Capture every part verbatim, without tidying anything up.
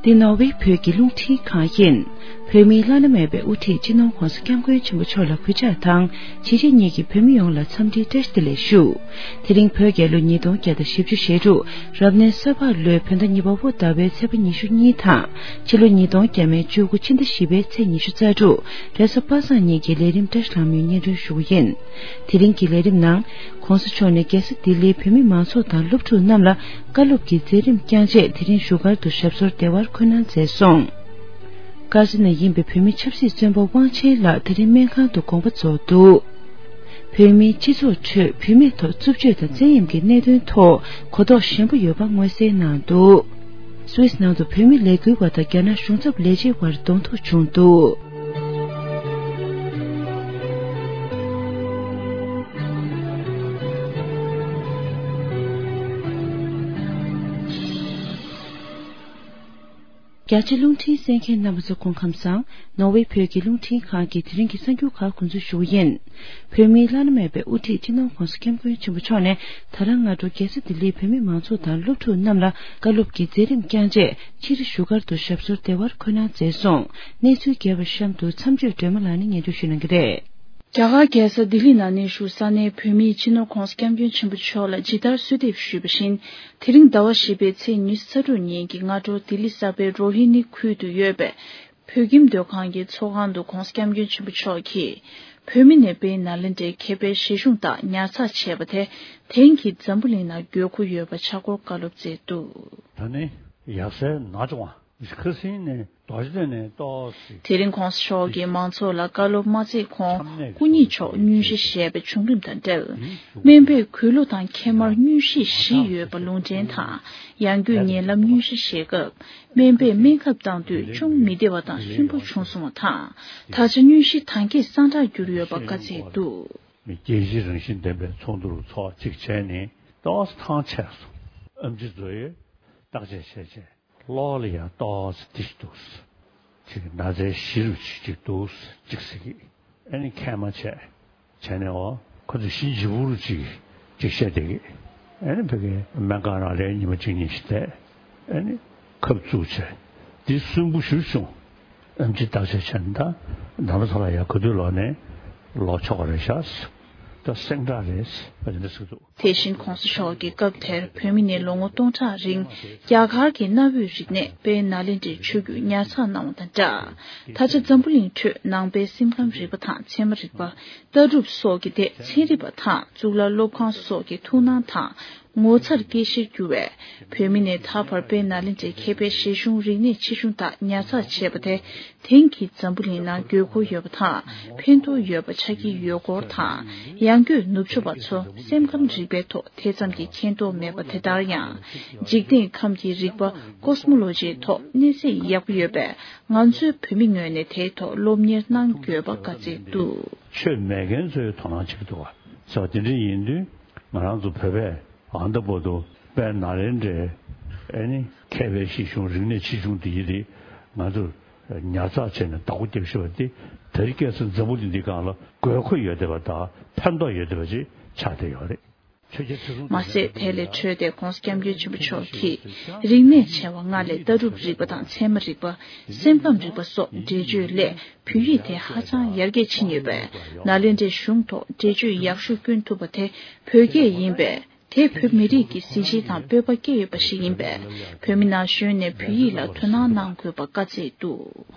འདི་ནོར་ཝེ་བོད་ཀྱི་རླུང་འཕྲིན་ཁང་ཡིན། བོད་མིའི་བླ་ན་མེད་པའི་དབུ་ཁྲིད་སྤྱི་ནོར་ྋགོང་ས་ྋསྐྱབས་མགོན་ཆེན་པོ་མཆོག་ལ་གུས་ཕྱག་དང་། གཞིས་བྱེས་གཉིས་ཀྱི་བོད་མི་ཡོངས་ལ་འཚམས་འདྲིའི་བཀྲ་ཤིས་བདེ་ལེགས་ཞུ། དེ་རིང་བོད་རྒྱལ་ལོ་ཉིས་སྟོང་བརྒྱ་དང་བཞི་བཅུ་ཞེ་དྲུག་རབ་གནས་ས་ཕག་ལོའི་བོད་ཟླ་གཉིས་པ་བོད་ཟླ་བའི་ཚེས་པ་ཉི་ཤུ་གཉིས་དང་། ཕྱི་ལོ་ཉིས་སྟོང་བརྒྱ་མེད་བཅུ་དགུ་ཕྱི་ཟླ་བཞི་པའི་ཚེས་ཉི་ཤུ་རྩ་དྲུག་རེས་གཟའ་པ་སངས་ཉིན་གྱི་ལས་རིམ་བཀྲ་ཤིས་ལྷ་མོའི་སྙན་སྒྲོན་ཞུ་རྒྱུ་ཡིན། དེ་རིང་གི་ལས་རིམ་ནང་། ྋགོང་ས་མཆོག་ནས་རྒྱལ་ས་ལྡི་ལིའི་བོད་མི་མང་ཚོགས་དང་སློབ་ཕྲུག་རྣམས་ལ་བཀའ་སློབ་ཀྱི་མཛད་རིམ་བསྐྱངས་རྗེས་དེ་རིང་བཞུགས་སྒར་དུ་ཞབས་སོར་བདེ་བར་འཁོད་གནང་མཛད་སོང་། དཀར་མཛེས་ནས་ཡིན་པའི་བོད་མི་ཆབ་སྲིད་བཙོན་པ་དབང་ཆེན་ལགས་དེ་རིང་སྨན་ཁང་དུ་དགོངས་པ་རྫོགས་འདུག་བོད་མིའི་སྤྱི་ཚོགས་ཁྲོད་བུད་མེད་ཐོག་རྩུབ་སྤྱོད་དང་བཙན་གཡེམ་གྱི་གནད་དོན་ཐོག་གོ་རྟོགས་ཞན་པོ་ཡོད་པ་མངོན་གསལ་གནང་འདུག་སུད་སི་ནང་དུ་བོད་མི་ལས་འགུལ་བ་དང་རྒྱ་ནག་གཞུང་ཚབ་ལས་བྱེད་དབར་གདོང་ཐུག་བྱུང་འདུག་རྒྱ་ཆེ་རླུང་འཕྲིན་གསན་མཁན་རྣམ་པ་ཚོ་སྐུ་ཁམས་བཟང་། ནོར་ཝེ་བོད་ཀྱི་རླུང་འཕྲིན་ཁང་གི་དེ་རིང་གི་གསར་འགྱུར་ཁག་འགོ་འཛུགས་ཞུ་གི་ཡིན། བོད་མིའི་བླ་ན་མེད་པའི་དབུ་ཁྲིད་སྤྱི་ནོར་ྋགོང་ས་ྋསྐྱབས་མགོན་ཆེན་པོ་མཆོག་ནས་ད་རང་སྔ་དྲོ་རྒྱལ་ས་ལྡི་ལིའི་བོད་མི་མང་ཚོགས་དང་སློབ་ཕྲུག་རྣམས་ལ་བཀའ་སློབ་ཀྱི་མཛད་རིམ་བསྐྱངས་རྗེས་ཕྱིར་བཞུགས་སྒར་དུ་ཞབས་སོར་བདེ་བར་འཁོད་གནང་མཛད་སོང་། གནས་ཚུལ་རྒྱས་པ་གཤམ་དུ་མཚམས་གཅོད་སྒྲོལ་མ་ལགས་ནས་སྙན་སྒྲོན་ཞུ་གནང་གི་རེད། རྒྱ་གར་རྒྱལ་ས་ལྡི་ལི་ནང་གནས་བཞུགས་ས་གནས་བོད་མིའི་སྤྱི་ནོར་ྋགོང་ས་ྋསྐྱབས་མགོན་ཆེན་པོ་མཆོག་ལ་ཇི་ལྟར་གསོལ་འདེབས་ཞུས་པ་བཞིན། དེ་རིང་ཟླ་བ་བཞི་པའི་ཚེས་ཉི་ཤུ་རྩ་དྲུག་ཉིན་གྱི་སྔ་དྲོ་ལྡི་ལི་གསར་པའི་རོ་ཧི་ནི་ཁུལ་དུ་ཡོད་པའི་བོད་ཁྱིམ་སྡོད་ཁང་གི་ཚོགས་ཁང་དུ་ྋགོང་ས་ྋསྐྱབས་མགོན་ཆེན་པོ་མཆོག་གིས་བོད་མི་ནས་དཔལ་ནཱ་ལེནྡྲའི་མཁས་པའི་བཞེད་གཞུང་དག་ཉར་ཚགས་བྱས་པ་དེ་དེང་གི་འཛམ་བུ་གླིང་ནང་དགོས་མཁོ་ཡོད་པ་ཆགས་སྐོར་བཀའ་སློབ་སྩལ་འདུག་ད་ནི་ཡབ་སྲས་ནག་ཅུང་བ། ཁ་སང་ནས་རྡོ་རྗེ་གདན་ནས་ཏོག་ཙམ། དེ་རིང་ྋགོང་ས་མཆོག་གིས་མང་ཚོགས་ལ་བཀའ་སློབ་མ་སྩལ་གོང་སྐུ་ཉིད་མཆོག་སྙུན་གཞི་བཞེས་པའི་བྱུང་རིམ་དང་འབྲེལ། སྨན་པས་གོས་ལུ་དང་ཁལ་མར་སྙུན་གཞི་བཞི་ཡོད་པ་ལུང་འདྲེན་དང་། ཡང་སྒོས་ཉེ་ལམ་སྙུན་གཞི་བཞེས་སྐབས་སྨན་པས་སྨན་ཁབ་བཏང་དུས་ཅུང་མི་བདེ་བ་དང་སུན་པོ་བྱུང་སོང་བ་དང་། ད་ཆ་སྙུན་གཞི་དང་གྱད་སངས་དྲག་གྱུར་ཡོད་པ་བཀའ་སྩལ་འདུག་རྒྱལ་སྤྱིའི་རང་བཞིན་ལྡན་པའི་ཚོགས་འདུར་ཚོགས་གཅིག་བྱས་ནས་ཏོག་ཙམ་ཐང་ཆད་སོང་། ཨེམ་ཆི་བཟོ་ཡས་བརྟག་དཔྱད་བྱས་བྱས། གློ་བ་ལ་ཡང་ཏོག་ཙམ་ཏིས་འདུག་ཅིག་ན་ཚའི་གཞི་རུ་ཅིག་ཅིག་འདུག་ཅིག་ཟེར་གི། ཨ་ནི་མཁལ་མ་བྱས། བྱས་ནས་འོ་ཁོ་ཚོ་གཞི་ལྗིད་པོ་རུ་ཅིག་ཅིག་བཤད་བསྡད་གི། ཨ་ནི་ཕ་གི་སྨན་ཁང་ནང་ལ་ཉི་མ་གཅིག་གཉིས་ཤིག་བསྡད། ཨ་ནི་ཁབ་བཙུགས་བྱས། འདི་སུན་པོ་ཞུ་བྱུང་། ཨེམ་ཆི་བརྟག་དཔྱད་བྱས་ནས་ད་ནང་པ་ཚོ་ལ་ཡང་ག་དུས་ལོག་ནས་ལོག་ཆོག་གི་རེད་ཤག་ད་སེང་བྲག་རེད་ཟེར་བ་དེ་འདྲ་ཟེར་གི་འདུག་དེ་བཞིན་ྋགོང་ས་མཆོག་གིས་སྐབས་དེར་བོད་མི་ནས་ལོ་ངོ་སྟོང་ཕྲག་རིང་རྒྱ་གར་གྱི་གནའ་བོའི་རིག་གནས་དཔལ་ནཱ་ལེནྡྲའི་ཆོས་བརྒྱུད་ཉར་ཚགས་གནང་བ་དང་སྦྲགས། ད་ཆ་འཛམ་བུ་གླིང་ཁྲོད་ནང་པའི་སེམས་ཁམས་རིག་པ་དང་ཚད་མ་རིག་པ། ལྟ་གྲུབ་སོགས་ཀྱི་ཐད་ཚན་རིག་པ་དང་གཙུག་ལག་སློབ་ཁང་སོགས་ཀྱི་ཐུགས་སྣང་དང་ངོ་མཚར་སྐྱེ་གཞིར་གྱུར་བས། བོད་མི་ནས་ད་བར་དཔལ་ནཱ་ལེནྡྲའི་མཁས་པའི་བཞེད་གཞུང་རིག་གནས་ཆེ་ཆུང་དག་ཉར་ཚགས་བྱས་པ་དེ་དེང་གི་འཛམ་བུ་གླིང་ནང་དགོས་མཁོ་ཡོད་པ་དང་ཕན་ཐོགས་ཡོད་པ་ཆགས་ཀྱི་ཡོད་སྐོར་དང་། ཡང་སྒོས་ནུབ་ཕྱོགས་པ་ཚོ་སེམས་ཁམས་རིག་པའི་ཐོག་དེ་ཙམ་གྱི་མཁྱེན་རྟོགས་མེད་པ་དེ་ལྟར་ཡང་། འཇིག་རྟེན་ཁམས་ཀྱི་རིག་པ་ཀོ་སི་མོ་ལོ་ཇིའི་ཐོག་གནས་ཚད་ཡག་པོ་ཡོད་པས། ང་ཚོའི་བོད་མི་ངོས་ནས་དེའི་ཐོག་སློབ་གཉེར་གནང་དགོས་པ་བཀའ་སྩལ་འདུག་ཆོས་མེད་མཁན་ཚོའི་དོ་སྣང་བྱེད་ཀྱི་འདུག་བ། ཟེར་བ་དེ་འདྲ་ཡིན་དུས་ང་རང་ཚོ་བོད་པས་ཨ་ད་བར་དུ་དཔལ་ནཱ་ལེནྡྲའི་ཨེ་ནི་མཁས་པའི་བཞེད་གཞུང་རིག་གནས་ཆེ་ཆུང་དེ་ཡི་རིགས་ང་ཚོས་ཉར་ཚགས་བྱས་ནས་བདག་པོ་རྒྱབ་ཤེས་པ་དེ་དེ་རིང་ཁ་སང་འཛམ་བུ་གླིང་འདིའི་སྒང་ལ་དགོས་མཁོ་ཡོད་བསྡད་པ་དང་ཕན་ཐོགས་ཡོད་བསྡད་པ་ཅིག་ཆགས་བསྡད་ཡོད་རེད། མ་ཟད་དེ་ལས་འཕྲོས་ཏེ་ྋགོང་ས་ྋསྐྱབས་མགོན་ཆེན་པོ་མཆོག་གིས་རིག་གནས་ཆེ་བ་ལྔ་ལས་ལྟ་གྲུབ་རིག་པ་དང་ཚད་མ་རིག་པ། སེམས་ཁམས་རིག་པ་སོགས་འགྲེལ་བརྗོད་སླད་བོད་ཡིག་དེ་ཧ་ཅང་ཡར་རྒྱས་ཕྱིན་ཡོད་པས། ནཱ་ལེནྡྲའི་གཞུང་ཐོག་འགྲེལ་བརྗོད་ཡག་ཤོས་བསྐྱོན་ཐུབ་པ་དེ་བོད་སྐད་ཡིན་པས། དེས་བོད་མི་རིགས་ཀྱི་གཟི་བརྗིད་དང་སྤོབས་པ་སྐྱེ་ཡོད་པ་ཞིག་ཡིན་པས། བོད་མི་ན་གཞོན་ནས་བོད་ཡིག་ལ་དོ་སྣང་གནང་དགོས་པ་བཀའ་སྩལ་འདུག་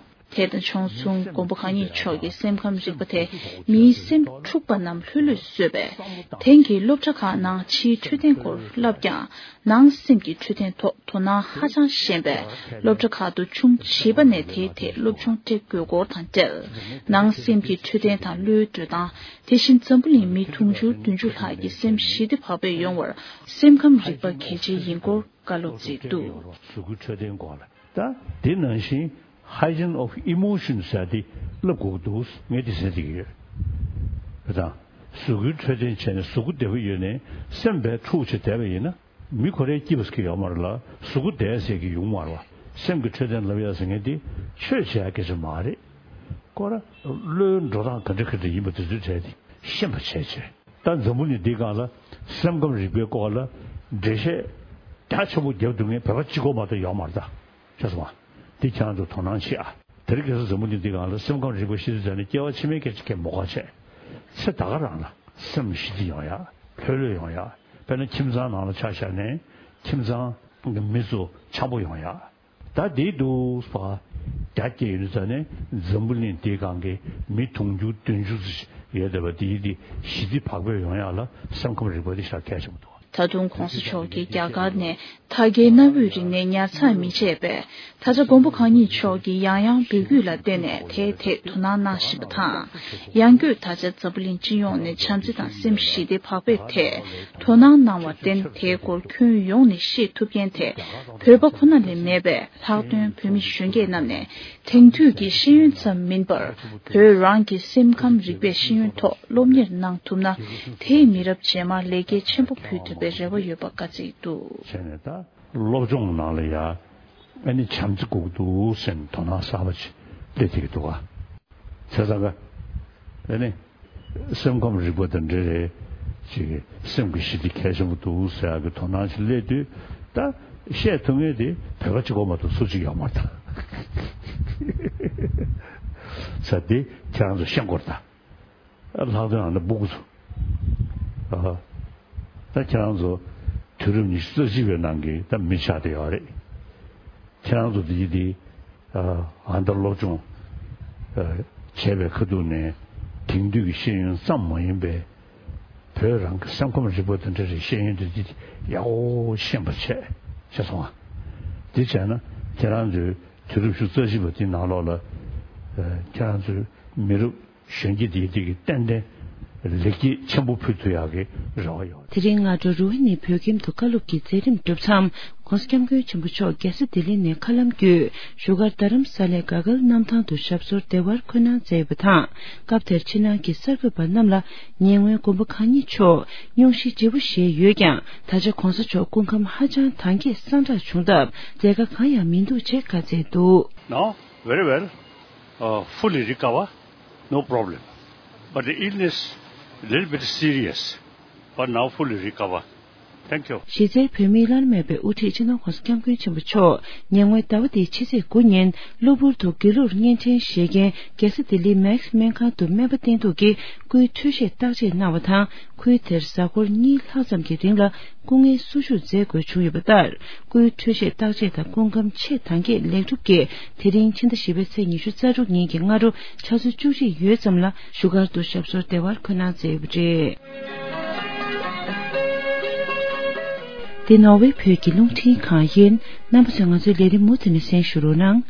དེ་དང་ཕྱོགས་མཚུངས་མགོན་པོ་གང་ཉིད་མཆོག་གི་སེམས་ཁམས་རིག་པ་དེ་མིའི་སེམས་འཁྲུགས་པ་རྣམས་ལྷོད་ལྷོད་བཟོས་པས། དེང་གི་སློབ་གྲྭ་ཁག་ནང་ཕྱིའི་འཕྲོད་བསྟེན་སྐོར་བསླབ་ཀྱང་ནང་སེམས་ཀྱི་འཕྲོད་བསྟེན་ཐོག་དོ་སྣང་ཧ་ཅང་ཞན་པས། སློབ་གྲྭ་ཁག་ཏུ་ཆུང་བྱིས་པ་ནས་དེའི་ཐད་སློབ་སྦྱོང་སྤྲད་དགོས་སྐོར་དང་འབྲེལ། ནང་སེམས་ཀྱི་འཕྲོད་བསྟེན་དང་བློའི་འགྲོ་སྟངས། དེ་བཞིན་འཛམ་བུ་གླིང་མི་དུང་ཕྱུར་བདུན་ཅུ་ལྷག་གི་སེམས་ཞི་བདེ་བག་ཕེབས་ཡོང་བར་སེམས་ཁམས་རིག་པ་གལ་ཆེ་ཡིན་སྐོར་བཀའ་སློབ་སྩལ་འདུག་གཟུགས་པོའི་འཕྲོད་བསྟེན་སྐོར་ལ། ད་དེ་ནང་བཞིན་hygiene of emotions ཟེར་དེ་བསླབ་དགོས་ཀྱི་འདུག་ངས་དེ་ཟེར་གྱི་ཡོད། དེ་དང་གཟུགས་པོའི་འཕྲོད་བསྟེན་བྱས་ནས་གཟུགས་པོ་བདེ་པོ་ཡོད་ནས་སེམས་པའི་འཁྲུག་ཆེ་བསྡད་པ་ཡིན་ན་མི་ཁོ་རའི་སྐྱིད་པ་ཟེར་གྱི་ཡོད་མ་རེད་ལ་གཟུགས་པོ་བདེ་ཟེར་གྱི་ཡོང་མ་རེད་བ། སེམས་ཀྱི་འཕྲོད་བསྟེན་ལབ་ཡ་ཟེར་མཁན་དེ་ཆོས་བྱེད་ཡ་སྐད་ཆ་མ་རེད། ཁོ་ར་བློའི་འགྲོ་སྟངས་ག་འདྲ་ག་འདྲ་ཡིན་པ་དེ་ཚོའི་གྲས་དེ་ཤེས་པ་བྱས་བྱས། ད་འཛམ་བུ་གླིང་འདིའི་སྒང་ལ་སེམས་ཁམས་རིག་པའི་སྐོར་ལ་འགྲེལ་བཤད་རྒྱ་ཆེན་པོ་རྒྱབ་འདུག་མཁན་བོད་པ་གཅིག་པོ་མ་གཏོགས་ཡོད་མ་རེད་ད། ཤེས་སོང་ང་། འདི་ཁྱེད་རང་ཚོ་དོ་སྣང་བྱེད་ཨ། དེ་རིང་ཁ་སང་འཛམ་བུ་གླིང་འདི་སྒང་ལ་སེམས་ཁམས་རིག་པ་ཞི་བདེ་དང་ནི་སྐྱེ་བ་ཕྱི་མའི་སྐད་ཆ་གས་མོ་ག་བྱས། ཚེ་ད་ག་རང་ལ་སེམས་ཞི་བདེ་ཡོང་ཡ། ལྷོད་ལྷོད་ཡོང་ཡ། དཔེར་ན་ཁྱིམ་ཚང་ནང་ལ་ཆ་བཞག་ནས་ཁྱིམ་ཚང་གི་མི་ཚོ་འཆམ་པོ་ཡོང་ཡ། ད་དེའི་འདུག་པ། རྒྱ་སྐྱེད་ཡོད་ཙང་ནས་འཛམ་བུ་གླིང་འདིའི་སྒང་གི་མི་དུང་ཕྱུར་བདུན་ཕྱུར་ཙམ་ཡོད་བསྡད་པ་འདིའི་འདི་ཞི་བདེ་བག་ཕེབས་ཡོང་ཡ་ལ་སེམས་ཁམས་རིག་པ་འདི་ཞེ་དྲག་གལ་ཆེན་པོ་འདུག་ད་དུང་གོང་ས་མཆོག་གིས་རྒྱ་གར་ནས་ཐ་གའི་གནའ་བོའི་རིག་གནས་ཉར་ཚགས་མི་བྱེད་པས། ད་ཆ་མགོན་པོ་གང་ཉིད་མཆོག་གིས་ཡང་ཡང་འབོད་སྐུལ་ལ་བརྟེན་ནས་དེའི་ཐད་དོ་སྣང་གནང་བཞིན་པ་དང་། ཡང་སྒོས་ད་ཆ་འཛམ་བུ་གླིང་སྤྱི་ཡོངས་ནས་བྱམས་བརྩེ་དང་སེམས་ཞི་བདེ་བག་ཕེབས་ཐད་དོ་སྣང་གནང་བར་བརྟེན། དེའི་སྐོར་ཁྱོན་ཡོངས་ནས་ཤེས་ཐུབ་མཁན་དེ་བོད་པ་ཁོ་ན་ལས་མེད་པས། ལྷག་དོན་བོད་མི་གཞོན་སྐྱེས་རྣམས་ནས་དེང་དུས་ཀྱི་ཤེས་ཡོན་ཙམ་མིན་པར། བོད་རང་གི་སེམས་ཁམས་རིག་པའི་ཤེས་ཡོན་ཐོག་སློབ་གཉེར་གནང་ཐུབ་ན། དེས་མི་རབས་རྗེས་མར་ལེགས་སྐྱེས་ཆེན་པོ་ཕུལ་ཐུབ་པའི་རེ་བ་ཡོད་པ་བཀའ་སྩལ་འདུག་བྱས་ནས་ད་སློབ་སྦྱོང་ནང་ལ་ཡ་ཨ་ནི་བྱམས་བརྩེ་དགོས་ཀྱི་འདུག་ཟེར་ནས་དོ་སྣང་གསར་པ་ཅིག་སླེབས་བསྡད་ཀྱི་འདུག་ག་བྱས་ཙང་ཀ་ཨ་ནི་སེམས་ཁམས་རིག་པ་དང་འབྲེལ་བའི་ཅིག་སེམས་ཀྱི་ཞི་བདེ་གལ་ཆེན་པོ་འདུག་ཟེར་ཡག་གི་དོ་སྣང་ཞིག་སླེབས་དུས། ད་བཤད་ཐུབ་མཁན་དེ་བོད་པ་གཅིག་པོ་མ་གཏོགས་སུ་གཅིག་ཡོད་མ་རེད་ད། ས་དེ་ཁྱེད་རང་ཚོ་ཤེས་དགོས་རེད་ད། ལྷག་དོན་ཨ་ནི་སྤུ་གུ་ཚོ། ཨ། ད་ཁྱེད་རང་ཚོ་དུས་རབས་ཉི་ཤུ་རྩ་གཅིག་པའི་ནང་གི་ད་མི་ཆགས་བསྡད་ཡོད་རེད། ཁྱེད་རང་ཚོ་འདི་འདི་ཨ་ད་སློབ་སྦྱོང་ཨ་བྱས་པའི་ཁ་ཐུག་ནས་དེང་དུས་ཀྱི་ཤེས་ཡོན་ཙམ་མ་ཡིན་པའི་བོད་རང་གི་སེམས་ཁམས་རིག་པ་དང་འབྲེལ་བའི་ཤེས་ཡོན་འདི་འདི་ཡག་པོ་ཤེས་པ་བྱས་བྱས་སོང་ང་། འདི་བྱས་ན་ཁྱེད་རང་ཚོའི་དུས་རབས་ཉི་ཤུ་རྩ་གཅིག་པ་འདི་ནང་ལོགས་ལ་ཨ་ཁྱེད་རང་ཚོའི་མི་རབས་གཞོན་སྐྱེས་དེ་དེ་གི་ཏན་ཏན་ལེགས་སྐྱེས་ཆེན་པོ་ཕུལ་ཐུབ་ཡག་གི་རེ་བ་ཡོད། དེ་རིང་སྔ་དྲོ་རུ་ཝི་ནི་བོད་ཁྱིམ་དུ་བཀའ་སློབ་ཀྱི་མཛད་རིམ་གྲུབ་མཚམས། ྋགོང་ས་ྋསྐྱབས་མགོན་ཆེན་པོ་མཆོག་རྒྱལ་ས་ལྡི་ལི་ནས་མཁའ་ལམ་བརྒྱུད་བཞུགས་སྒར་རྡ་རམ་ས་ལའི་ག་གལ་གནམ་ཐང་དུ་ཞབས་སོར་བདེ་བར་འཁོད་གནང་མཛད་ཡོད་པ་དང་། སྐབས་དེར་ཕྱི་ནང་གི་གསར་འགོད་པ་རྣམས་ལ་ཉེ་སྔོན་མགོན་པོ་གང་ཉིད་མཆོག་སྙུང་གཞི་ལྗིད་པོ་བཞེས་ཡོད་ཀྱང་། ད་ཆ་ྋགོང་ས་མཆོག་སྐུ་ཁམས་ཧ་ཅང་ཐང་རྒྱས་སངས་དྲག་བྱུང་སྟབས་མཛད་དཀའ་གང་ཡང་མི་འདུག་ཅེས་བཀའ་སྩལ་འདུག Now, very well, uh, fully recover, no problem. But the illness, little bit serious, but now fully recover. Thank you. གཞི་རྩའི་བོད་མིའི་བླ་ན་མེད་པའི་དབུ་ཁྲིད་སྤྱི་ནོར་ྋགོང་ས་ྋསྐྱབས་མགོན་ཆེན་པོ་མཆོག་ཉེ་སྔོན་ཟླ་བ་འདིའི་ཕྱི་ཚེས་དགུ་ཉིན་གློ་བུར་དུ་སྒྱིད་ལུག་བརྙན་འཕྲིན་བཞེས་མཁན་རྒྱལ་ས་ལྡི་ལིའི་མེག་སི་སྨན་ཁང་དུ་སྨན་པ་བསྟེན་གཏུགས་ཀྱིས་སྐུའི་འཕྲོད་བཞེས་བརྟག་དཔྱད་གནང་བ་དང་། ཁུལ་དེར་གཟའ་འཁོར་གཉིས་ལྷག་ཙམ་གྱི་རིང་ལ་སྐུ་ངལ་གསོ་བཅུག་མཛད་དགོས་བྱུང་ཡོད་པ་ལྟར། སྐུའི་འཕྲོད་བཞེས་བརྟག་དཔྱད་དང་སྐུ་ཁམས་ཆེས་ཐང་རྒྱས་ལེགས་གྲུབ་ཀྱིས། དེ་རིང་ཕྱི་ཟླ་བཞི་པའི་ཚེས་ཉི་ཤུ་རྩ་དྲུག་ཉིན་གྱི་སྔ་དྲོ་ཆུ་ཚོད་བཅུ་གཅིག་ཡོལ་ཙམ་ལ་བཞུགས་སྒར་དུ་ཞབས་སོར་བདེ་བར་འཁོད་གནང་མཛད་ཡོད་པ་རེད། འདི་ནོར་ཝེ་བོད་ཀྱི་རླུང་འཕྲིན་ཁང་ཡིན། རྣམ་པ་ཚོས་ང་ཚོའི་ལས་རིམ་མུ་མཐུད་ནས་གསན་ཞུ་རོགས་གནང་།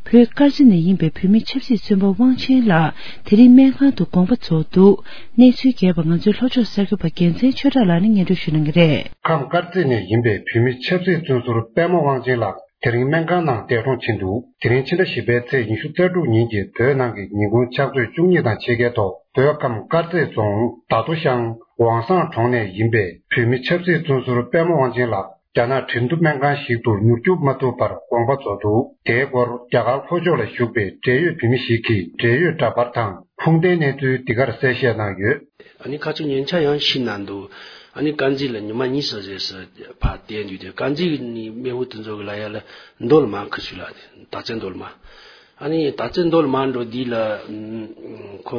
བོད་དཀར་མཛེས་ནས་ཡིན་པའི་བོད་མི་ཆབ་སྲིད་བཙོན་པ་དབང་ཆེན་ལགས་དེ་རིང་སྨན་ཁང་དུ་དགོངས་པ་རྫོགས་འདུག་གནས་ཚུལ་རྒྱས་པ་ང་ཚོའི་ལྷོ་ཕྱོགས་གསར་འགོད་པ་རྒྱལ་མཚན་ཆོས་གྲགས་ལགས་ནས་སྙན་སྒྲོན་ཞུ་གནང་གི་རེད། ཁམས་དཀར་མཛེས་ནས་ཡིན་པའི་བོད་མི་ཆབ་སྲིད་བཙོན་ཟུར་པད་མ་དབང་ཆེན་ལགས་དེ་རིང་སྨན་ཁང་ནང་འདས་གྲོངས་ཕྱིན་འདུག་དེ་རིང་ཕྱི་ཟླ་བཞི་པའི་ཚེས་ཉི་ཤུ་རྩ་དྲུག་ཉིན་གྱི་བོད་ནང་གི་ཉིན་གུང་ཕྱག་ཚོད་བཅུ་གཉིས་དང་ཕྱེད་ཀའི་ཐོག་བོད་ཁམས་དཀར་མཛེས་རྫོང་རྡ་རྡོ་ཤང་ཝང་སང་གྲོང་ནས་ཡིན་པའི་བོད་མི་ཆབ་སྲིད་བཙོན་ཟུར་པད་མ་དབང་ཆེན་ལགས་རྒྱ་ནག་ཁྲིན་ཏུ་སྨན་ཁང་ཞིག་ཏུ་མྱུར་སྐྱོབ་མ་ཐུབ་པར་དགོངས་པ་རྫོགས་འདུག་དེའི་སྐོར་རྒྱ་གར་ལྷོ་ཕྱོགས་ལ་བཞུགས་པའི་འབྲེལ་ཡོད་བོད་མི་ཞིག་གིས་འབྲེལ་ཡོད་འདྲ་པར་དང་ཁུངས་ལྡན་གནས་ཚུལ་འདི་གར་གསལ་བཤད་གནང་ཡོད། ཨ་ནི་ཁ་ཆུ་ཉེན་ཆ་ཡང་ཤི་ན་འདུག་ཨ་ནི་དཀར་མཛེས་ལ་ཉི་མ་གཉིས་སུ་རེས་སུ་ཕར་བསྡད་འདུག་དེ་དཀར་མཛེས་ནི་མེ་ཧུ་དེ་ཚོ་གི་ལ་ཡ་ལ་མདོ་ལ་མ་ཁུ་སུ་ལ་དེ་ད་ཚེ་མདོ་ལ་མ། ཨ་ནི་ད་ཚེ་མདོ་ལ་མ་འགྲོ་འདི་ལ་ཁོ་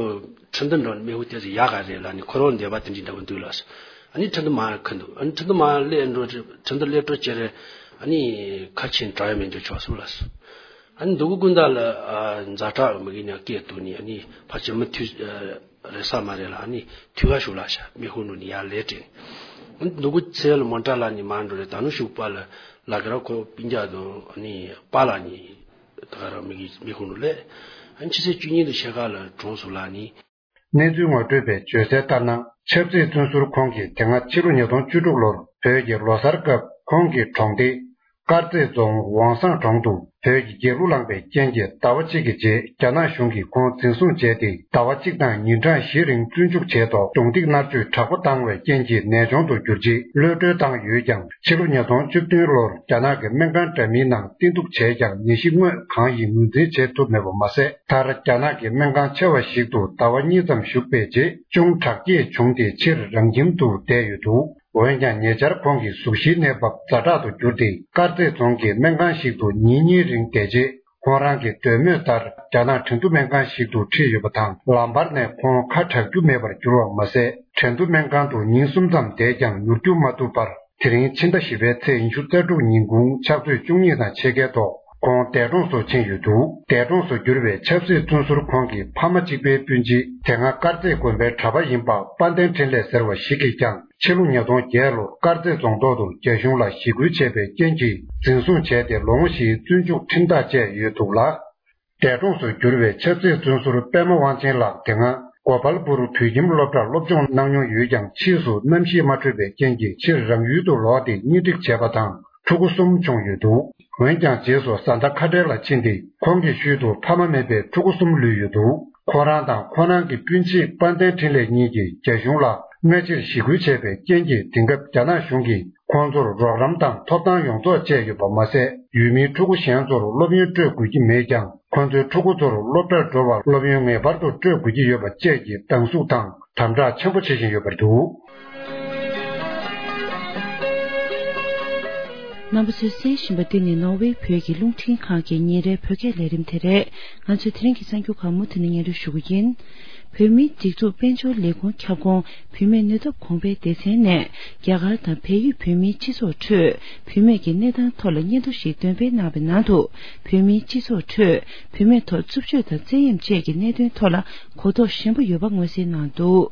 ཁྲིན་ཏུ་འགྲོ་མེ་ཧུ་དེ་ཚོ་ཡག་ག་རེད་ལ་ནི་ཁོ་རང་འདས་པ་དེ་འདྲི་འདྲ་པོ་འདུག་ལ། ཨ་ནི་ཁྲིན་ཏུ་མ་ཁུ་འདུག་ཨ་ནི་ཁྲིན་ཏུ་མ་སླེབས་འགྲོ་ཁྲིན་ཏུ་སླེབས་འགྲོ་ཅེ་རེ་ཨ་ནི་ཁ་ཆེན་དྲ་ཡ་མེད་འགྲོ་ཆོག་སུ་ལ། ཨ་ནི་འདུག་གུ་ཀུན་ད་ལ་ཛ་དྲག་མི་གི་ཉག་སྐད་དུ་ནི་ཨ་ནི་ཕ་ཆེན་མི་ཐུས། རེ་ས་མ་རེ་ལ་ཨ་ནི་ཐུ་ག་ཞུ་ལ་ཤ་མི་ཧུ་ནུ་ནི་ཡ་ལེ་ཏྲེ། ཨ་ནི་ནུ་གུ་ཚེ་ལ་མོན་ཏྲ་ལ་ནི་མ་འགྲོ་རེ་ད་ནུ་ཤུག་པ་ལ་ལ་ག་ར་ཁོ་པིན་རྒྱ་དུ་ཨ་ནི་པ་ལ་ནི་ད་ག་ར་མི་གི་མི་ཧུ་ནུ་ལེ། ཨ་ནི་ཕྱི་ཚེས་བཅུ་གཉིས་དུ་ཤེ་ཁ་ལ་གྲོངས་སུ་ལ་ནི། གནས་ཚུལ་ངོ་སྤྲོད་པས་བརྗོད་གསལ་ལྟར་ན་ཆབ་སྲིད་བཙོན་ཟུར་ཁོང་གིས་དེ་སྔ་ཕྱི་ལོ་ཉིས་སྟོང་བཅུ་དྲུག་ལོར་བོད་ཀྱི་ལོ་གསར་སྐབས་ཁོང་གི་གྲོང་སྡེ། དཀར་མཛེས་རྫོང་ཝང་སང་གྲོང་དུ་བོད་ཀྱི་རྒྱལ་གླུ་བླངས་པའི་རྐྱེན་གྱིས་ཟླ་བ་གཅིག་གི་རྗེས་རྒྱ་ནག་གཞུང་གིས་ཁོང་འཛིན་བཟུང་བྱས་ཏེ་ཟླ་བ་གཅིག་དང་ཉིན་གྲངས་བཞི་རིང་བཙོན་འཇུག་བྱས་ཐོག་གདོང་ཐིག་མནར་གཅོད་དྲག་པོ་བཏང་བའི་རྐྱེན་གྱིས་ནད་གཅོང་དུ་གྱུར་རྗེས་གློད་བཀྲོལ་བཏང་ཡོད་ཀྱང་ཕྱི་ལོ་ཉིས་སྟོང་བཅུ་བདུན་ལོར་རྒྱ་ནག་གི་སྨན་ཁང་འདྲ་མིན་ནང་བསྟེན་གཏུགས་བྱས་ཀྱང་ནད་གཞི་དངོས་གང་ཡིན་ངོས་འཛིན་བྱེད་ཐུབ་མེད་པ་མ་ཟད་མཐར་རྒྱ་ནག་གི་སྨན་ཁང་ཆེ་བ་ཞིག་ཏུ་ཟླ་བ་གཉིས་ཙམ་བཞུགས་པའི་རྗེས་ཅུང་དྲག་སྐྱེད་བྱུང་སྟེ་ཕྱིར་རང་ཁྱིམ་དུ་བསྡད་ཡོད་འདུག་འོན་ཀྱང་ཉེ་ཆར་ཁོང་གི་གཟུགས་གཞིའི་གནས་བབ་ཛ་དྲག་ཏུ་གྱུར་ཏེ་དཀར་མཛེས་རྫོང་གི་སྨན་ཁང་ཞིག་ཏུ་ཉིན་གཉིས་རིང་བསྡད་རྗེས་ ཁོང་རང་གི་འདོད་མོས་ལྟར་རྒྱ་ནག་ཁྲེང་ཏུ་སྨན་ཁང་ཞིག་ཏུ་ཁྲིད་ཡོད་པ་དང་། ལམ་བར་ནས་ཁོང་ཁ་གྲག་རྒྱུ་མེད་པར་གྱུར་བ་མ་ཟད། ཁྲེང་ཏུ་སྨན་ཁང་དུ་ཉིན་གསུམ་ཙམ་བསྡད་ཀྱང་མྱུར་འགྱུར་མ་ཐུབ་པར། དེ་རིང་ཕྱི་ཟླ་བཞི་པའི་ཚེས་ཉི་ཤུ་རྩ་དྲུག་ཉིན་གུང་ཕྱག་ཚོད་བཅུ་གཉིས་དང་ཕྱེད་ཀའི་ཐོག་ཁོང་འདས་གྲོངས་སུ་ཕྱིན་ཡོད་འདུག་འདས་གྲོངས་སུ་གྱུར་བའི་ཆབ་སྲིད་བཙོན་ཟུར་ཁོང་གི་ཕ་མ་གཅིག་པའི་སྤུན་མཆེད། དེ་སྔ་དཀར་མཛེས་དགོན་པའི་གྲྭ་པ་ཡིན་པ་དཔལ་ལྡན་འཕྲིན་ལས་ཟེར་བ་ཞིག་གིས་ཀྱང་། ཕྱི་ལོ་ཉིས་སྟོང་བརྒྱད་ལོར་དཀར་མཛེས་རྫོང་ཐོག་ཏུ་རྒྱ་གཞུང་ལ་ཞི་རྒོལ་བྱས་པའི་རྐྱེན་གྱིས་འཛིན་བཟུང་བྱས་ཏེ། ལོ་ངོ་བཞིའི་བཙོན་འཇུག་ཁྲིམས་ཐག་བཅད་ཡོད་འདུག་ལ། འདས་གྲོངས་སུ་གྱུར་བའི་ཆབ་སྲིད་བཙོན་ཟུར་པད་མ་དབང་ཆེན་ལགས། དེ་སྔ་གོ་པལ་པུར་དུད་ཁྱིམ་སློབ་གྲྭར་སློབ་སྦྱོང་གནང་མྱོང་ཡོད་ཀྱང་། ཕྱིས་སུ་གནམ་གཤིས་མ་འཕྲོད་པའི་རྐྱེན་གྱིས་ཕྱིར་རང་ཡུལ་དུ་ལོག་སྟེ་གཉེན་སྒྲིག་བྱས་པ་དང་། ཕྲུ་གུ་གསུམ་བྱུང་ཡོད་འདུག་འོན་ཀྱང་། རྗེས་སུ་བཟའ་ཟླ་ཁ་བྲལ་ལ་ཕྱིན་ཏེ། ཁོང་གི་ཤུལ་དུ་ཕ་མ་མེད་པའི་ཕྲུ་གུ་གསུམ་ལུས་ཡོད་འདུག་ཁོང་རང་དང་ཁོང་རང་གི་སྤུན་མཆེད་དཔལ་ལྡན་འཕྲིན་ལས་གཉིས་ཀྱིས་རྒྱ་གཞུང་ལ་སྔ་ཕྱིར་ཞི་རྒོལ་བྱས་པའི་རྐྱེན་གྱིས། དེང་སྐབས་རྒྱ་ནག་གཞུང་གིས་ཁོང་ཚོར་རོགས་རམ་དང་ཐོབ་ཐང་ཡོངས་རྫོགས་བཅད་ཡོད་པ་མ་ཟད། ཡུལ་མིའི་ཕྲུ་གུ་གཞན་ཚོར་སློབ་ཡོན་སྤྲོད་དགོས་ཀྱི་མེད་ཀྱང་། ཁོང་ཚོའི་ཕྲུ་གུ་ཚོར་སློབ་གྲྭར་འགྲོ་བར་སློབ་ཡོན་ངེས་པར་དུ་སྤྲོད་དགོས་ཀྱི་ཡོད་པ་བཅས་ཀྱི་སྡང་ཟུག་དང་དམ་དྲག་ཆེན་པོ་བྱེད་བཞིན་ཡོད་པ་རེད་འདུག་རྣམ་པ་ཚོས་གསན་བཞིན་པ་འདི་ནི་ནོར་ཝེ་བོད་ཀྱི་རླུང་འཕྲིན་ཁང་གི་ཉིན་རེའི་བོད་སྐད་ལས་རིམ་དེ་རེད། ང་ཚོས་དེ་རིང་གི་གསར་འགྱུར་ཁག་མུ་མཐུད་ནས་སྙན་སྒྲོན་ཞུ་གི་ཡིན། བོད་མིའི་སྒྲིག་འཛུགས་དཔལ་འབྱོར་ལས་ཁུངས་ཁྱབ་ཁོངས་བུད་མེད་ནུས་སྟོབས་གོང་འཕེལ་སྡེ་ཚན་ནས། རྒྱ་གར་དང་བལ་ཡུལ་བོད་མིའི་སྤྱི་ཚོགས་ཁྲོད་བུད་མེད་ཀྱི་གནས་སྟངས་ཐོག་ལ་སྙན་ཐོ་ཞིག་འདོན་སྤེལ་གནང་བའི་ནང་དུ། བོད་མིའི་སྤྱི་ཚོགས་ཁྲོད་བུད་མེད་ཐོག་རྩུབ་སྤྱོད་དང་བཙན་གཡེམ་བཅས་ཀྱི་གནད་དོན་ཐོག་ལ་གོ་རྟོགས་ཞན་པོ་ཡོད་པ་མངོན་གསལ་གནང་འདུག་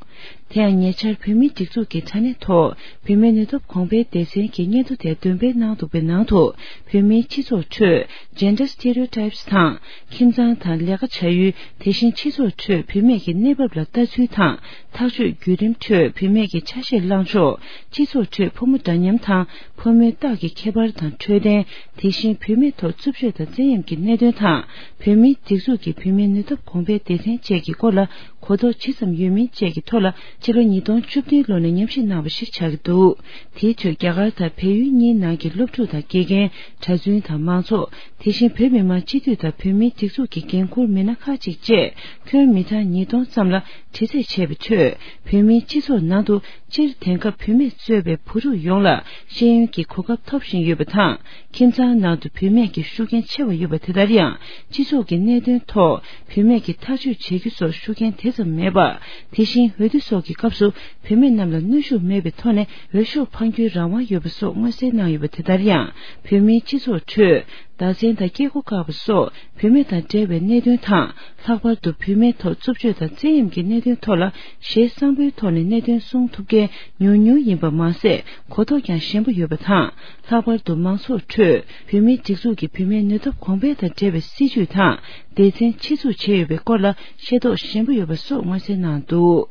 དེ་ཡང་ཉེ་ཆར་བོད་མིའི་སྒྲིག་འཛུགས་ཀྱི་དྲ་གནས་ཐོག་བུད་མེད་ནུས་སྟོབས་གོང་འཕེལ་སྡེ་ཚན་གྱིས་སྙན་ཐོ་དེ་འདོན་སྤེལ་གནང་འདུག་པའི་ནང་དུ། བོད་མིའི་སྤྱི་ཚོགས་ཁྲོད་gender stereotypes དང་། ཁྱིམ་ཚང་དང་ལས་ཀ་བྱ་ཡུལ། དེ་བཞིན་སྤྱི་ཚོགས་ཁྲོད་བུད་མེད་ཀྱི་གནས་བབ་ལ་ལྟ་ཚུལ་དང་། ཐག་གཅོད་བརྒྱུད་རིམ་ཁྲོད་བུད་མེད་ཀྱི་ཆ་ཤས་བླངས་ཕྱོགས། སྤྱི་ཚོགས་ཁྲོད་ཕོ་མོ་འདྲ་མཉམ་དང་ཕོ་མོའི་རྟགས་ཀྱི་ཁྱད་པར་དང་འཕྲོད་བསྟེན། དེ་བཞིན་བུད་མེད་ཐོག་རྩུབ་སྤྱོད་དང་བཙན་གཡེམ་གྱི་གནད་དོན་དང་། བོད་མིའི་སྒྲིག་འཛུགས་ཀྱི་བུད་མེད་ནུས་སྟོབས་གོང་འཕེལ་སྡེ་ཚན་བཅས་ཀྱི་སྐོར་ལ་གོ་རྟོགས་ཇི་ཙམ་ཡོད་མིན་བཅས་ཀྱི་ཐོག་ལ། ཕྱི་ལོ་ཉིས་སྟོང་བཅུ་བདུན་ལོ་ནས་ཉམས་ཞིབ་གནང་བ་ཞིག་ཆགས་ཀྱི་འདུག་དེའི་ཁྲོད་རྒྱ་གར་དང་བལ་ཡུལ་གཉིས་ནང་གི་སློབ་ཕྲུག་དང་དགེ་རྒན། གྲྭ་བཙུན་དང་མང་ཚོགས། དེ་བཞིན་བོད་མི་མང་སྤྱི་འཐུས་དང་བོད་མིའི་སྒྲིག་འཛུགས་ཀྱི་འགན་འཁུར་མི་སྣ་ཁག་ཅིག་བཅས་ཁྱོན་མི་གྲངས་ཉིས་སྟོང་ཙམ་ལ་དྲི་རྩད་བྱས་པའི་ཁྲོད། བོད་མིའི་སྤྱི་ཚོགས་ནང་དུ་སྤྱིར་དེང་སྐབས་བུད་མེད་གཙོས་པའི་བུ་ཕྲུག་ཡོངས་ལ་ཤེས་ཡོན་གྱི་གོ་སྐབས་ཐོབ་བཞིན་ཡོད་པ་དང་། ཁྱིམ་ཚང་ནང་དུ་བུད་མེད་ཀྱི་ཤུགས་རྐྱེན་ཆེ་བ་ཡོད་པ་དེ་ལྟར་ཡང་། སྤྱི་ཚོགས་ཀྱི་གནད་དོན་ཐོག་བུད་མེད་ཀྱིས་ཐག་གཅོད་བྱེད་རྒྱུ་སོགས་ཤུགས་རྐྱེན་དེ་ཙམ་མེད་པ། དེ་བཞིན་འོས་བསྡུ་སོགས་ཀྱི་སྐབས་སུ་བུད་མེད་རྣམས་ལ་གནོན་ཤུགས་མེད་པའི་ཐོག་ནས་འོས་ཤོག་འཕང་རྒྱུའི་རང་དབང་ཡོད་པ་སོགས་མངོན་གསལ་གནང་ཡོད་པ་དེ་ལྟར་ཡང་། བོད་མིའི་སྤྱི་ཚོགས་ཁྲོད་བདག་འཛིན་དང་སྐྱེ་སྒོ་བཀག་པ་སོགས་བུད་མེད་དང་འབྲེལ་བའི་གནད་དོན་དང་། ལྷག་པར་དུ་བུད་མེད་ཐོག་རྩུབ་སྤྱོད་དང་བཙན་གཡེམ་གྱི་གནད་དོན་ཐོག་ལ་ཞེ་བསམ་པོའི་ཐོག་ནས་གནད་དོན་གསུང་ཐུབ་མཁན་ཉུང་ཉུང་ཡིན་པ་མ་ཟད། གོ་རྟོགས་ཀྱང་ཞན་པོ་ཡོད་པ་དང་། ལྷག་པར་དུ་མང་ཚོགས་ཁྲོད་བོད་མིའི་སྒྲིག་འཛུགས་ཀྱི་བུད་མེད་ནུས་སྟོབས་གོང་འཕེལ་དང་འབྲེལ་བའི་སྲིད་ཇུས་དང་སྡེ་ཚན་ཆེད་འཛུགས་བྱས་ཡོད་པའི་སྐོར་ལ་ཤེས་རྟོགས་ཞན་པོ་ཡོད་པ་སོགས་མངོན་གསལ་གནང་འདུག་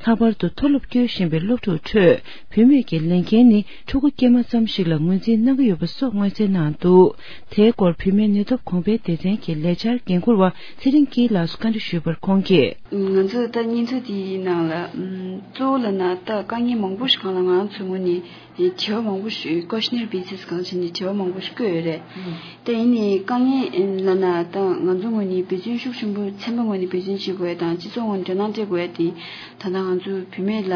ལྷག་པར་དུ་མཐོ་སློབ་སྐྱོད་བཞིན་པའི་སློབ་ཕྲུག་ཁྲོད་བུད་མེད་ཀྱི་ལས་འགན་ནི་ཕྲུ་གུ་སྐྱེས་མ་ཙམ་ཞིག་ལ་ངོས་འཛིན་གནང་གི་ཡོད་པ་སོགས་མངོན་གསལ་གནང་འདུག་དེའི་སྐོར་བུད་མེད་ནུས་སྟོབས་གོང་འཕེལ་སྡེ་ཚན་གྱི་ལས་འཆར་འགན་འཁུར་བ་ཚེ་རིང་སྐྱིད་ལགས་སུ་བཀའ་འདྲི་ཞུས་པར་ཁོང་གིས། ང་ཚོ་ད་བརྙན་ཐུང་དེའི་ནང་ལ་ཨམ་གཙོ་བོ་ལབ་ན་ད་དཀའ་ངལ་མང་པོ་ཞིག་སྒང་ལ་ང་རང་ཚོའི་ངོས་ནས་དྲི་བ་མང་པོ་ཞིག questionnaire basis སྒང་བྱས་ནས་དྲི་བ་མང་པོ་ཞིག་བཀོད་ཡོད་རེད། ད་ཡིན་ནའི་དཀའ་ངལ་ལབ་ན་ད་ང་ཚོ་ངོས་ནས་འབད་བརྩོན་ཤུགས་ཆེན་པོ་ཚན་པ་ངོས་ནས་འབད་བརྩོན་བྱེད་དགོས་ཡ་དང་སྤྱི་ཚོགས་ངོས་ནས་དོ་སྣང་སྤྲད་དགོས་ཡ་དེ་ད་ལྟ་ང་ཚོ་བུད་མེད་ལ་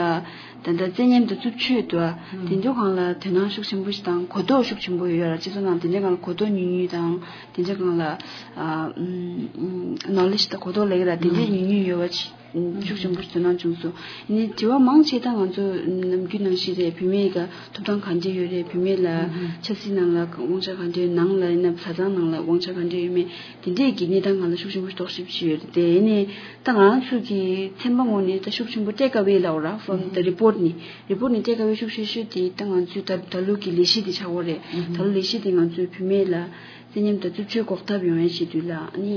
ད་ལྟ་བཙན་ཉམས་དང་རྩུབ་སྤྱོད་འདུག་ཨ། དེ་ཚོ་སྒང་ལ་དོ་སྣང་ཤུགས་ཆེན་པོ་ཞིག་དང་གོ་རྟོགས་ཤུགས་ཆེན་པོ་ཡོད་ར། སྤྱི་ཚོགས་ནང་དེ་འདྲའི་སྒང་ལ་གོ་རྟོགས་ཉུང་ཉུང་དང་དེ་འདྲའི་སྒང་ལ་ཨ་ཨམ་knowledge དང་གོ་རྟོགས་ལབ་ཀྱི་ར་དེ་འདྲའི་ཉུང་ཉུང་ཡོད་པ་ཅིག་ཤུགས་ཆེན་པོ་ཞིག་དོ་སྣང་བྱུང་སོང་། ཡིན་ནའི་དྲི་བ་མང་ཆེ་ད་ང་ཚོ་ནམ་རྒྱུན་ནང་བཞིན་རེད། བུད་མེད་ཀྱི་ཐོབ་ཐང་ག་འདྲས་ཡོད་རེད། བུད་མེད་ལ་ཆབ་སྲིད་ནང་ལ་དབང་ཆ་ག་འདྲས་ཡོད། ནང་ལ་ཡིན་ན་བཟའ་ཚང་ནང་ལ་དབང་ཆ་ག་འདྲས་ཡོད་མེད་དེ་འདྲས་ཀྱི་གནས་སྟངས་སྒང་ལ་ཤུགས་ཆེན་པོ་རྟོག་ཞིབ་བྱས་ཡོད་རེད། དེ་ཡིན་ནའི་ད་ང་རང་ཚོ་གི་ཚན་པ་ངོས་ནས་ད་ཤུགས་ཆེན་པོ་take away ལབ་ར་from the report ནི་report ནི་take away ཤུགས་ཆེ་ཤོས་དེ་ད་ང་ཚོས་ད་ད་ལོ་གི་ལས་གཞི་དེ་ཆགས་ཡོད་རེད། ད་ལོ་ལས་གཞི་དེ་ང་ཚོའི་བུད་མེད་ལ་བཙན་ཉམས་དང་རྩུབ་སྤྱོད་འགོག་ཐབས་ཡོང་ཡ་བྱེད་དུས་ལ་ཨ་ནི་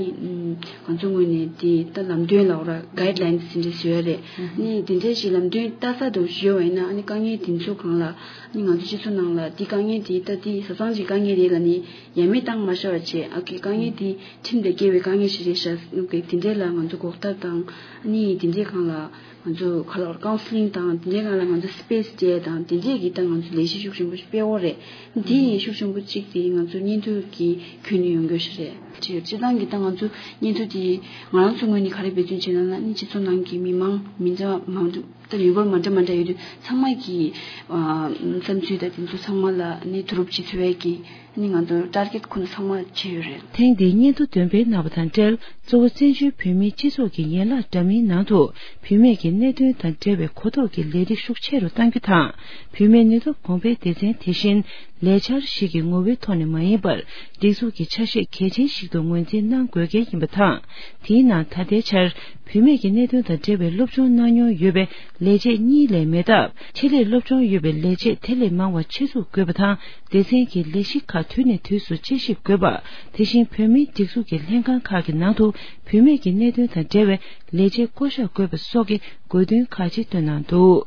ང་ཚོ་ངོས་ནས་དེ་ད་ལམ་སྟོན་ལབ་ར་guidelines དེ་འདྲ་བཟོས་ཡོད་རེད། ཨ་ནི་དེ་འདྲ་ཞིག་ལམ་སྟོན་ལྟ་ས་དང་ཞུས་པ་ཡིན་ན་ཨ་ནི་དཀའ་ངལ་དེ་ཚོ་སྒང་ལ་ཨ་ནི་ང་ཚོ་སྤྱི་ཚོགས་ནང་ལ་དེ་དཀའ་ངལ་དེ་ད་དེ་བཟའ་ཚང་གི་དཀའ་ངལ་རེད་ལབ་ནི་ཡ་མེད་བཏང་མ་བཞག་པ་བྱས། ཨ་ཀི་དཀའ་ངལ་དེ་ཁྲིམས་དང་འགལ་བའི་དཀའ་ངལ་ཞིག་རེད་ཤག་ཨ་ཀི་དེ་འདྲ་ལ་ང་ཚོ་འགོག་ཐབས་དང་ཨ་ནི་དེ་འདྲའི་སྒང་ལ་ང་ཚོ་ག་ལ་counselling དང་དེ་འདྲའི་སྒང་ལ་ང་ཚོ་space སྤྲད་དང་དེ་འདྲའི་གི་ད་ང་ཚོ་ལས་གཞི་ཤུགས་ཆེན་པོ་ཞིག་སྤེལ་འོ་རེད། འདི་ཡི་ཤུགས་ཆེན་པོ་གཅིག་དེ་ང་ཚོ་བརྙན་ཐུང་གི་ཁྱོན་ནས་ཡོང་རྒྱུ་ཞིག་རེད། ཅེས་སྤྱིར་བཏང་གི་ད་ང་ཚོ་བརྙན་ཐུང་དེ་ང་རང་ཚོ་ངོས་ནས་ག་རེ་འབད་བརྩོན་བྱས་ན་ན་ནི་སྤྱི་ཚོགས་ནང་གི་མི་མང་མི་འདྲ་མང་འདུག་ད་ནུས་པ་མ་འདྲ་མ་འདྲ་ཡོད་དུས་ཚང་མ་གི་ཨ་བསམ་ཚུལ་དང་དེ་ཚོ་ཚང་མ་ལ་ནི་བསྡུ་རུབ་བྱེད་ཐུབ་པའི་གི་ནི་ང་ཚོ་ཊར་གེ་ཊི་ཁོ་ན་ཚང་མ་བྱས་ཡོད་རེད། ཐེངས་འདིའི་སྙན་ཐོ་འདོན་སྤེལ་གནང་བ་དང་འབྲེལ། གཙོ་བོ་བཙན་བྱོལ་བོད་མིའི་སྤྱི་ཚོགས་ཀྱི་ཡན་ལག་འདྲ་མིན་ནང་དུ་བུད་མེད་ཀྱི་གནད་དོན་དང་འབྲེལ་བའི་གོ་རྟོགས་ཀྱི་ལས་སྟེགས་ཤུགས་ཆེ་རུ་གཏང་རྒྱུ་དང་། བུད་མེད་ནུས་སྟོབས་གོང་འཕེལ་སྡེ་ཚན་དེ་བཞིན་ལས་འཆར་ཞིག་གི་ངོ་བོའི་ཐོག་ནས་མ་ཡིན་པར། སྒྲིག་འཛུགས་ཀྱི་ཆ་ཤས་གལ་ཆེན་ཞིག་ཏུ་ངོས་འཛིན་གནང་དགོས་གལ་ཡིན་པ་དང་། དེའི་ནང་ད་ལྟའི་ཆར་བུད་མེད་ཀྱི་གནད་དོན་དང་འབྲེལ་བའི་སློབ་སྦྱོང་གནང་མྱོང་ཡོད་པའི་ལས་བྱེད་གཉིས་ལས་མེད་སྟབས། ཆེད་ལས་སློབ་སྦྱོང་ཡོད་པའི་ལས་བྱེད་དེ་ལས་མང་བ་ཆེད་འཛུགས་དགོས་པ་དང་། སྡེ་ཚན་གྱི་ལས་གཞི་ཁག་དུས་ནས་དུས་སུ་དཔྱད་ཞིབ་དགོས་པ། དེ་བཞིན་བོད་མིའི་སྒྲིག་འཛུགས་ཀྱི་ལྷན་ཁང་ཁག་གི་ནང་དུ་བུད་མེད་ཀྱི་གནད་དོན་དང་འབྲེལ་བའི་ལས་བྱེད་བསྐོ་གཞག་དགོས་པ་སོགས་ཀྱི་དགོས་འདུན་ཁག་ཅིག་བཏོན་གནང་འདུག།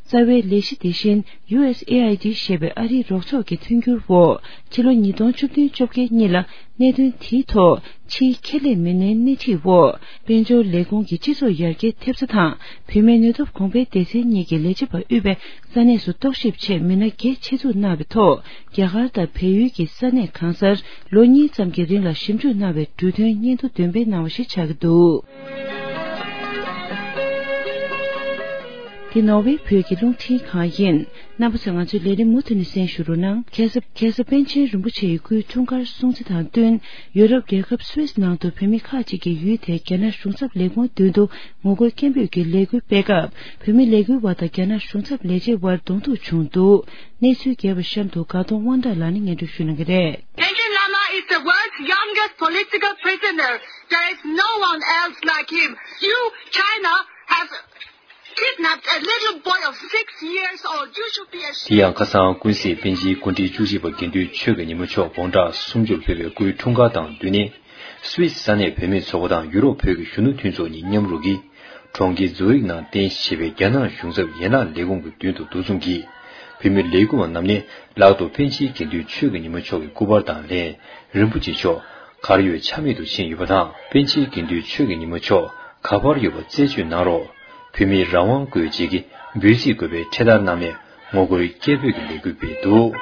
རྩ་བའི་ལས་གཞི་དེ་བཞིན་ཡུ་ཨེས་ཨེ་ཨའི་ཌི་ཞེས་པའི་ཨ་རིའི་རོགས་ཚོགས་ཀྱི་མཐུན་འགྱུར་འོག་ཕྱི་ལོ་ཉིས་སྟོང་བཅུ་བདུན་བཅོ་བརྒྱད་གཉིས་ལ་གནད་དོན་དེའི་ཐོག་ཕྱིའི་ཁེ་ལས་མི་སྣའི་སྣེ་ཁྲིད་འོག་དཔལ་འབྱོར་ལས་ཁུངས་ཀྱི་སྤྱི་ཚོགས་ཡར་རྒྱས་ཐེབས་རྩ་དང་བུད་མེད་ནུས་སྟོབས་གོང་འཕེལ་སྡེ་ཚན་གཉིས་ཀྱི་ལས་བྱེད་པ་དབུས་པའི་ས་གནས་སུ་རྟོག་ཞིབ་ཆེད་མི་སྣ་བརྒྱད་ཆེད་འཛུགས་གནང་བའི་ཐོག་རྒྱ་གར་དང་བལ་ཡུལ་གྱི་ས་གནས་གང་སར་ལོ་གཉིས་ཙམ་གྱི་རིང་ལ་ཞིབ་འཇུག་གནང་བའི་གྲོས་མཐུན་སྙན་ཐོ་འདོན་སྤེལ་གནང་བ་ཞིག་ཆགས་ཀྱི་འདུག། འདི་ནོར་ཝེ་བོད་ཀྱི་རླུང་འཕྲིན་ཁང་ཡིན། རྣམ་པ་ཚོས་ང་ཚོའི་ལས་རིམ་མུ་མཐུད་ནས་གསན་ཞུ་རོགས་གནང་། ཁ་སང་ཁ་སང་པཎ་ཆེན་རིན་པོ་ཆེ་ཡི་སྐུའི་འཁྲུངས་སྐར་སྲུང་བརྩི་དང་བསྟུན། ཡུ་རོབ་རྒྱལ་ཁབ་སུད་སི་ནང་དུ་བོད་མི་ཁག་ཅིག་གིས་ཡུལ་དེའི་རྒྱ་ནག་གཞུང་ཚབ་ལས་ཁུངས་མདུན་དུ་ངོ་རྒོལ་སྐད་འབོད་ཀྱི་ལས་འགུལ་སྤེལ་སྐབས། བོད་མི་ལས་འགུལ་བ་དང་རྒྱ་ནག་གཞུང་ཚབ་ལས་བྱེད་དབར་གདོང་ཐུག་བྱུང་འདུག། གནས་ཚུལ་རྒྱས་པ་གཤམ་དུ་དགའ་གདོང་དབང་གྲགས་ལགས་ནས་སྙན་སྒྲོན་ཞུ་གནང་གི་རེད། Panchen Lama is the world's youngest political prisoner. There is no one else like him. You, China, has kidnapped a little boy of six years old. You should be ashamed. དེ་ཡང་ཁ་སང་ཀུན་གཟིགས་པཎ་ཆེན་སྐུ་ཕྲེང་བཅུ་གཅིག་པ་དགེ་འདུན་ཆོས་ཀྱི་ཉི་མ་མཆོག་དགུང་གྲངས་སུམ་ཅུ་ལ་ཕེབས་པའི་སྐུའི་འཁྲུངས་སྐར་དང་བསྟུན་ནས། སུད་སི་ས་གནས་བོད་མིའི་ཚོགས་པ་དང་ཡུ་རོབ་བོད་ཀྱི་གཞོན་ནུ་མཐུན་ཚོགས་གཉིས་མཉམ་རུབ་ཀྱིས། གྲོང་ཁྱེར་ཛུ་རིག་ནང་རྟེན་གཞི་བྱས་པའི་རྒྱ་ནག་གཞུང་ཚབ་ཡན་ལག་ལས་ཁུངས་ཀྱི་མདུན་དུ་འདུ་འཛོམས་ཀྱིས། བོད་མི་ལས་འགུལ་བ་རྣམས་ནས་ལག་ཏུ་པཎ་ཆེན་དགེ་འདུན་ཆོས་ཀྱི་ཉི་མ་མཆོག་གི་སྐུ་པར་དང་ལྷན། རིན་པོ་ཆེ་མཆོག་གར་ཡོད་ཆ་མེད་དུ་ཕྱིན་ཡོད་པ་དང་། པཎ་ཆེན་དགེ་འདུན་ཆོས་ཀྱི་ཉི་མ་མཆོག་ག་པར་ཡོད་པ་རྩད་གཅོད་གནང་རོགས། བོད་མིའི་རང་དབང་དགོས་ཅེས་ཀྱི་འབོད་ཚིག་འཁོད་པའི་འཕྲེད་དར་བསྣམས་ནས་ངོ་རྒོལ་སྐད་འབོད་ཀྱི་ལས་འགུལ་སྤེལ་འདུག།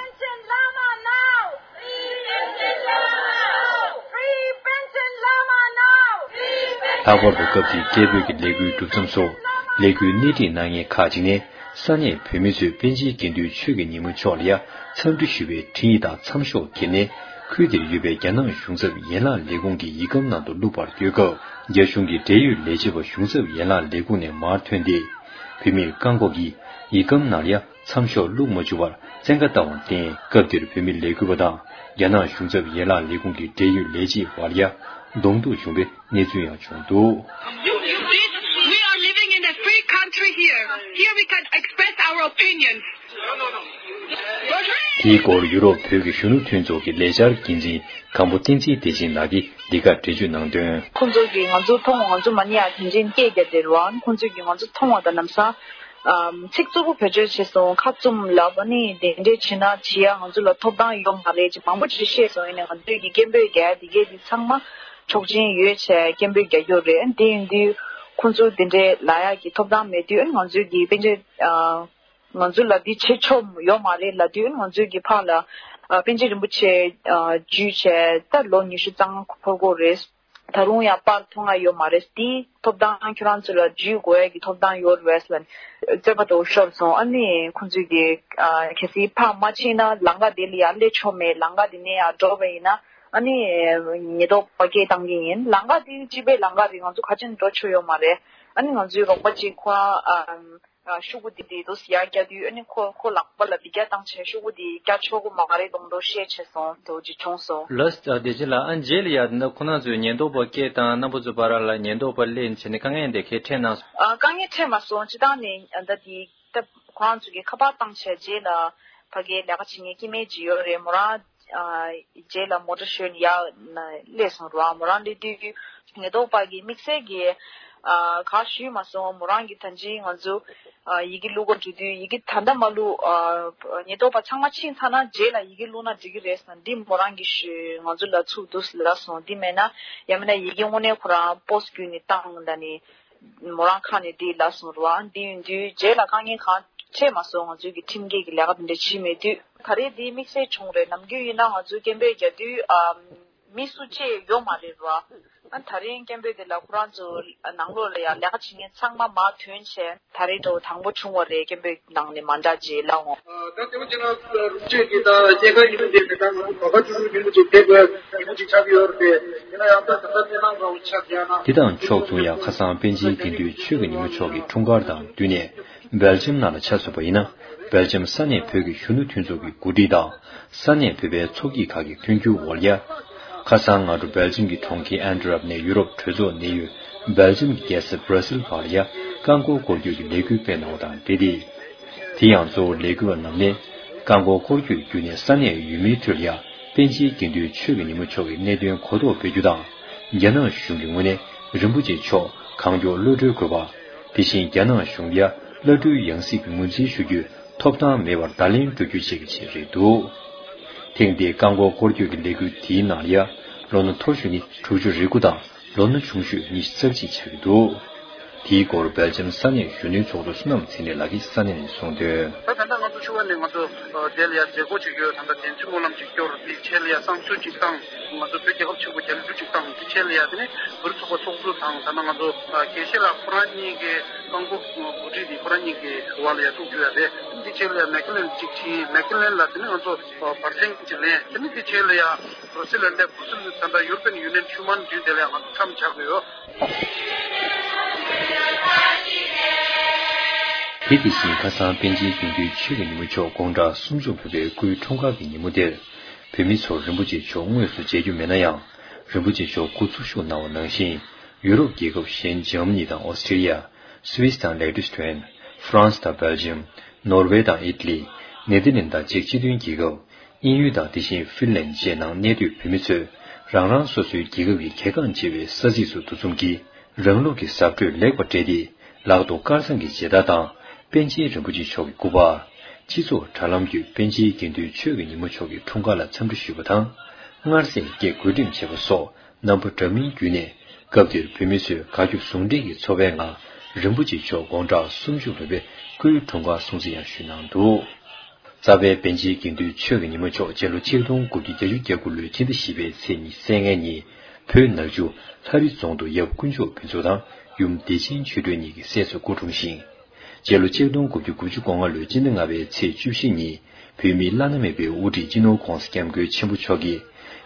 ལྷག་པར་དུ་སྐབས་དེའི་སྐད་འབོད་ཀྱི་ལས་འགུལ་གྲུབ་མཚམས་སུ། ལས་འགུལ་སྣེ་ཁྲིད་གནང་མཁན་ཁག་ཅིག་ནས། ས་གནས་བོད་མི་ཚོས་པཎ་ཆེན་དགེ་འདུན་ཆོས་ཀྱི་ཉི་མ་མཆོག་ལ་ཡ་འཚམས་འདྲི་ཞུ་བའི་འཕྲིན་ཡིག་དང་མཚམས་ཤོག་ཁྱེར་ནས། ཁུལ་དེར་ཡོད་པའི་རྒྱ་ནག་གཞུང་ཚབ་ཡན་ལག་ལས་ཁུངས་ཀྱི་ཡིག་སྒམ་ནང་དུ་བླུགས་པར་བསྐྱོད་སྐབས། རྒྱ་གཞུང་གི་འབྲེལ་ཡོད་ལས་བྱེད་པ་གཞུང་ཚབ་ཡན་ལག་ལས་ཁུངས་ནས་མར་ཐོན་ཏེ། བོད་མིར་བཀག་འགོག་གིས་ཡིག་སྒམ་ནང་ལ་ཡ་མཚམས་ཤོག་བླུགས་མ་བཅུག་པར་བཙན་བཀའ་བཏང་བར་བརྟེན། སྐབས་དེར་བོད་མི་ལས་འགུལ་བ་དང་རྒྱ་ནག་གཞུང་ཚབ་ཡན་ལག་ལས་ཁུངས་ཀྱི་འབྲེལ་ཡོད་ལས་བྱེད་བར་ལ་ཡ་གདོང་ཐུག་བྱུང་བའི་གནས་ཚུལ་ཡང་བྱུང་འདུག། You, you did. We are living in a free country here. Here we can express our opinions. དེའི་སྐོར་ཡུ་རོབ་བོད་ཀྱི་གཞོན་ནུ་མཐུན་ཚོགས་ཀྱི་ལས་འཆར་འགན་འཛིན་སྒམ་པོ་བསྟན་འཛིན་བདེ་ཆེན་ལགས་ཀྱིས་འདི་གར་འགྲེལ་བརྗོད་གནང་དོན། ཁོང་ཚོ་གིས་ང་ཚོ་མཐོང་བ། ང་ཚོ་མ་ཎི་ཡ་དེ་འདྲའི་སྐད་རྒྱག་དེ་རུ་ཨ་ཁོང་ཚོ་གིས་ང་ཚོ་མཐོང་བ་དང་ལམ་སང་ཚིག་རྩུབ་པོ་བེད་སྤྱོད་བྱས་སོང་། ཁ་བཙུམ་ལབ། ཨ་ནི་དེ་འདྲས་བྱས་ན་བྱེད་ཡ་ང་ཚོ་ལ་ཐོབ་ཐང་ཡོད་མ་རེད་ཅེས་མང་པོ་ཅིག་བཤད་སོང་། ཡིན་ནའི་ང་ཚོས་ཀྱི་སྐད་འབོད་རྒྱག་ཡ་དེ་གས་དེ་ཚང་མ་ཆོག་མཆན་ཡོད་བྱས་སྐད་འབོད་རྒྱག་རྒྱུ་རེད། ཨ་ནི་དེ་ཡིན་དུས་ཁོང་ཚོ་དེ་འདྲས་ལབ་ཡ་གི་ཐོབ་ཐང་མེད་དུས། ཨ་ནི་ང་ཚོས་ཀྱི་པཎ་ཆེན་ང་ཚོ་ལ་འདི་བྱེད་ཆོག་ཡོད་མ་རེད་ལབ་དུས། ང་ཚོའི་གི་ཕར་ལ་ཨ་པཎ་ཆེན་རིན་པོ་ཆེ་ཨ་བརྒྱུད་བྱས་ད་ལོ་ཉི་ཤུ་རྩ་ལྔ་འཁོར་གྱི་རེད། ད་རུང་ཡང་པར་མཐོང་ང་ཡོད་མ་རེད། དེའི་ཐོབ་ཐང་ཁྱོད་རང་ཚོ་ལ་བརྒྱུད་དགོས་ཡ་གི་ཐོབ་ཐང་ཡོད་རེད་ལབ་ནས་རྩོད་པ་དེ་ཤོར་སོང་། ཨ་ནི་ཁོང་ཚོས་གི་ཨ་གལ་སྲིད་ཕར་མ་ཕྱིན་ན་ལམ་ཁ་དེ་ལ་ཡར་སླེབས་ཆོག་མེད། ལམ་ཁ་དེ་ནས་ཡར་འགྲོ་བ་ཡིན་ན་ཨ་ནི་ཉེན་རྟོག་པ་སྐད་བཏང་གི་ཡིན། ལམ་ཁ་དེ་སྤྱི་པའི་ལམ་ཁ་རེད། ང་ཚོ་ག་ཅུང་འགྲོ་ཆོག་ཡོད་མ་རེད། ཨ་ནི་ང་ཚོའི་རོགས་པ་གཅིག་ཁོ་རང་ཨ། ཤོག་གུ་དེ་དེ་དུས་ཡར་བཀྱག་དུས། ཨ་ནི་ཁོ་ཁོ་ལག་པ་ལ་འདི་བཀྱག་བཏང་བྱས་ཤོག་གུ་དེ་བཀྱག་ཆོག་གི་མ་རེད་མདོག་མདོག་བཤད་བྱས་སོང་། དེ་འདྲ་ཅིག་བྱུང་སོང་། ལགས་སོ། བདེ་ཆེན་ལགས། ཨ་རྗེས་ལ་ཡ་འདི་ཁོ་རང་ཚོས་ཉེན་རྟོག་པ་སྐད་བཏང་། རྣམ་པ་ཚོ་བར་ལ་ཉེན་རྟོག་པ་སླེབས་བྱས་ནས་དཀའ་ངལ་འདི་གས་འཕྲད་གནང་སོང་། ཨ་དཀའ་ངལ་འཕྲད་མ་སོང་། སྤྱིར་བཏང་ནས་ཨ་ད་དེ་ད་ཁོ་རང་ཚོ་གིས་ཁ་པར་བཏང་བྱས་རྗེས་ལ་ཕ་གིའི་ལས་ཀ་བྱེད་མཁན་སྐྱེ་དམན་ཅིག་ཡོད་རེད། མོ་རང་ཨ་རྗེས་ལ་མོ་ཊ་ཞོན་ཡར་ན་སླེབས་སོང་ར། མོ་རང་སླེབས་དུས་ཉེན་རྟོག་པ་གིས་དམིགས་བསལ་གྱི་ཨ་ག་ཞུས་མ་སོང་། མོ་རང་གིས་ད་ཅི་ང་ཚོ་ཨ་ཡི་གེ་བླུག་ག་འགྲོ་དུས་ཡི་གེ་ད་ལྟ་མ་བླུག་ཨ་ཉེན་རྟོག་པ་ཚང་མ་ཕྱིན་ཚར་ན་རྗེས་ལ་ཡི་གེ་བླུག་ན་འགྲིག་གི་རེད་ཟེར་ན། འདི་མོ་རང་གིས་ཞུས། ང་ཚོ་ལ་ཚུར་འདུག་ལབ་སོང་། འདི་མེད་ན་ཡང་མིན་ན་ཡི་གེ་དངོས་གནས་ཁོ་རང་པོ་སི་བརྒྱུད་ནས་བཏང་ད་ནི། མོ་རང་ཁ་ནས་འདི་ལབ་སོང་ར། འདི་ཡིན་དུས་རྗེས་ལ་དཀའ་ངལ་གང་འཕྲད་མ་སོང་། ང་ཚོའི་གི་ཁྲིམས་འགལ་གྱི་ལས་ཀ་འདི་འདྲ་བྱས་མེད་དུས། ད་རེས་འདི་དམིགས་བསལ་བྱུང་རེད། ནམ་རྒྱུན་ཡིན་ན་ང་ཚོའི་སྐད་འབོད་རྒྱག་དུས་ཨ་མི་སུ་གཅིག་ཡོད་མ་རེད་ར། ཨ་ད་རིང་སྐད་འབོད་དེ་ལ་ཁོ་རང་ཚོ་ནང་ལོགས་ལ་ཡང་ལས་ཀ་བྱེད་མཁན་ཚང་མ་མར་ཐོན་བྱས། ད་རེས་དོ་དང་པོ་བྱུང་བ་རེད། སྐད་འབོད་ནང་ནས་མ་འདྲ་རྗེས་ལ་འོང་། ད་དེ་བ་ཅན་ལ་རུ་ཅེ་གི་ད་སྐྱེ་ཁ་ཡིན་མི་དེ་དེ་ད་ང་ཚོ་ག་ཁ་ཆུ་ཆུ་ཡིན་མི་ཅིག་དེ་དགོས་ཡིན་མི་ཅིག་ཆགས་ཀྱི་ཡོད་རེད། དེ་ཡིན་ན་ཡང་ད་ད་ལྟ་དེ་ནང་འགྲོ་ཆགས་ཡ་ན། དེ་དང་ཕྱོགས་མཚུངས་ཡང་ཁ་སང་པཎ་ཆེན་དགེ་འདུན་ཆོས་ཀྱི་ཉིན་མོ་མཆོག་གི་འཁྲུངས་སྐར་དང་བསྟུན་ནས་སྦེལ་ཇམ་ནང་ལ་ཆ་མཚོན་པ་ཡིན་ན། སྦེལ་ཇམ་ས་གནས་བོད་ཀྱི་གཞོན་ནུ་མཐུན་ཚོགས་ཀྱི་འགོ་ཁྲིད་དང་། ས་གནས་བོད་པའི་ཚོགས་སྐྱིད་ཁག་གི་མཐུན་འགྱུར་འོག་ལ། ཁ་སང་སྔ་དྲོ་སྦེལ་ཇམ་གྱི་གྲོང་ཁྱེར་ཨན་ཏི་ཝེར་པ་ནས་ཡུ་རོབ་གྲོས་ཚོགས་གནས་ཡུལ་སྦེལ་ཇམ་གྱི་རྒྱལ་ས་སྦྲ་སིལ་བར་ལ་ཡ་རྐང་འཁོར་འཁོར་སྐྱོད་ཀྱི་ལས་འགུལ་སྤེལ་གནང་བ་དང་འབྲེལ་ཏེ། དེ་ཡང་གཙོ་བོ་ལས་འགུལ་བ་རྣམས་ནས་རྐང་འཁོར་འཁོར་སྐྱོད་བརྒྱུད་ནས་ས་གནས་ཡུལ་མིའི་ཁྲོད་ལ་ཡ་པཎ་ཆེན་དགེ་འདུན་ཆོས་ཀྱི་ཉིན་མོ་མཆོག་གི་གནད་དོན་གོ་རྟོགས་སྤེལ་རྒྱུ་དང་། རྒྱ་ནག་གཞུང་གི་ངོས་ནས་རིན་པོ་ཆེ་མཆོག་གང་མགྱོགས་གློད་གྲོལ་དགོས་པ། དེ་བཞིན་རྒྱ་ནག་གཞུང་ལ་ཡ་གློད་གྲོལ་ཡང་སྲིད་ཀྱི་ངོས་འཛིན་ཞུ་རྒྱུའི་ཐོབ་ཐང་མེད་པར་བརྡ་ལན་སྤྲོད་རྒྱུ་བཅས་ཀྱི་ཆེད་རེད་འདུག་ཐེངས་འདིའི་རྐང་འཁོར་འཁོར་སྐྱོད་ཀྱི་ལས་འགུལ་དེའི་ནང་ལ་ཡ་ལོ་ན་མཐོ་ཤོས་ནི་དྲུག་ཅུ་རེ་དགུ་དང་ལོ་ན་ཆུང་ཤོས་ཉི་ཤུ་རྩ་གཅིག་ཆགས་ཀྱི་འདུག་དེའི་སྐོར་སྦེལ་ཇམ་ས་གནས་གཞོན་ནུའི་ཚོགས་གཙོ་བསོད་ནམས་ཚེ་རིང་ལགས་ཀྱིས་ས་གནས་ནས་གསུངས་དོན། ད་ད་ལྟ་ང་ཚོ་ཕྱི་བ་ནས་ང་ཚོ་དེ་ལ་ཡ་མཛད་སྒོ་བྱེད་ཀྱི་ཡོད། ད་ལྟ་དེ་ཚོའི་སྨོན་ལམ་ཅིག་སྐྱོར། དེའི་ཆེད་ལ་ཡ་བསང་མཆོད་ཅིག་བཏང་། ང་ཚོ་བོད་རྒྱལ་ཁབ་ཆེན་པོ་རྒྱལ་གླུ་ཅིག་བཏང་། དེའི་ཆེད་ལ་ཡ་དེ་ནས་བོད་རིགས་ཚོགས་པ་ཚོགས་གཙོ་དང་། ད་ལྟ་ང་ཚོ་དགེ་བཤེས་ལགས་ཁོ་རང་གཉིས་ཀྱི་རྐང་འཁོར་འགོ་ཁྲིད་དེ་ཁོ་རང་གཉིས་ཀྱི་བར་ལ་ཡ་ཐུག་རྒྱུ་ཡ་རེད། དེའི་ཆེད་ལ་ཡ་མེག་ལན་ཅིག་ཕྱིན། མེག་ལན་ལ་དེ་ནས་ང་ཚོ་བར་གསེང་ཅིག་ལེན། དེ་ནས་དེའི་ཆེད་ལ་ཡ་བྷར་སེལ་ལ་སླེབས། བྷར་སེལ་ད་ལྟ་ཡུ་རོ་པན་ཡུ་ནི་ཡན་མཆོད་མེ་འདུས་དེ་ལ་ཡ་ང་ཚོ་མཚམས་ཆགས་ཀྱི་ཡོད། དེ་དེ་བཞིན་ཁ་སང་པཎ་ཆེན་དགེ་འདུན་ཆོས་ཀྱི་ཉིན་མོ་མཆོག་དགུང་གྲངས་སུམ་ཅུ་ལོན་པའི་སྐུའི་འཁྲུངས་སྐར་གྱི་ཉིན་མོ་དེར། བོད་མི་ཚོར་རིན་པོ་ཆེ་མཆོག་དངོས་སུ་མཇལ་རྒྱུ་མེད་ན་ཡང་། རིན་པོ་ཆེ་མཆོག་སྐུ་འཚོ་བཞུགས་གནང་བ་ནང་བཞིན། ཡུ་རོབ་རྒྱལ་ཁབ་གཞན་འཇར་མ་ནི་དང་ཨོ་སི་ཀྲི་ལི་ཡ། སུད་སི་དང་ལེག་ཏུ་སི་ཐོན། ཧྥ་རན་སི་དང་སྦེལ་ཇམ། ནོར་ཝེ་དང་ཨི་ཊ་ལི། ནེ་དར་ལེན་དང་ཅེཀ་སྤྱི་མཐུན་རྒྱལ་ཁབ། དབྱིན་ཡུལ་དང་དེ་བཞིན་ཧྥིན་ལན་བཅས་ནང་གནས་སྡོད་བོད་མི་ཚོས་རང་རང་སོ་སོའི་རྒྱལ་ཁབ་ཀྱི་གལ་འགངས་ཆེ་བའི་ས་ཚིགས་སུ་འདུ་འཛོམས་ཀྱིས་རང་ལུགས་ཀྱི་གཟབ་སྤྲོས་ལེགས་པར་སྤྲས་ཏེ། ལག་ཏུ་དཀར་ཚང་གི་མཇལ་དར་དང་། པཎ་ཆེན་རིན་པོ་ཆེ་མཆོག་གི་སྐུ་པར། སྤྱི་ཚོགས་དྲ་ལམ་བརྒྱུད་པཎ་ཆེན་དགེ་འདུན་ཆོས་ཀྱི་ཉིན་མོ་མཆོག་གི་འཁྲུངས་སྐར་ལ་འཚམས་འདྲི་ཞུས་པ་དང་། མངར་ཟས་སྐྱེལ་བགོ་འགྲེམས་བྱས་པ་སོགས་རྣམ་པ་འདྲ་མིན་བརྒྱུད་ནས། སྐབས་དེར་བོད་མི་ཚོས་དགའ་སྐྱོ་ཟུང་འབྲེལ་གྱི་ཚོར་བའི་ངང་རིན་པོ་ཆེ་མཆོག་དགུང་གྲངས་སུམ་ཅུ་ལོན་པའི་སྐུའི་འཁྲུངས་སྐར་སྲུང་བརྩི་ཡང་ཞུས་གནང་འདུག་རྩ་བའི་པཎ་ཆེན་དགེ་འདུན་ཆོས་ཀྱི་ཉིན་མོ་མཆོག་སྤྱི་ལོ་ཆིག་སྟོང་དགུ་བརྒྱ་བརྒྱད་ཅུ་གྱ་དགུ་ལོའི་ཕྱི་ཟླ་བཞི་པའི་ཚེས་ཉི་ཤུ་རྩ་ལྔ་ཉིན་བོད་ནག་ཆུ་ལྷ་རི་རྫོང་དུ་ཡབ་དཀོན་མཆོག་ཕུན་ཚོགས་དང་ཡུམ་བདེ་ཆེན་ཆོས་སྒྲོན་གཉིས་ཀྱི་སྲས་སུ་སྐུ་འཁྲུངས་ཤིང་། སྤྱི་ལོ་ཆིག་སྟོང་དགུ་བརྒྱ་དགུ་བཅུ་གོ་ལྔ་ལོའི་སྤྱི་ཟླ་ལྔ་པའི་ཚེས་བཅུ་བཞི་ཉིན་བོད་མིའི་བླ་ན་མེད་པའི་དབུ་ཁྲིད་སྤྱི་ནོར་༧གོང་ས་༧སྐྱབས་མགོན་ཆེན་པོ་མཆོག་གིས་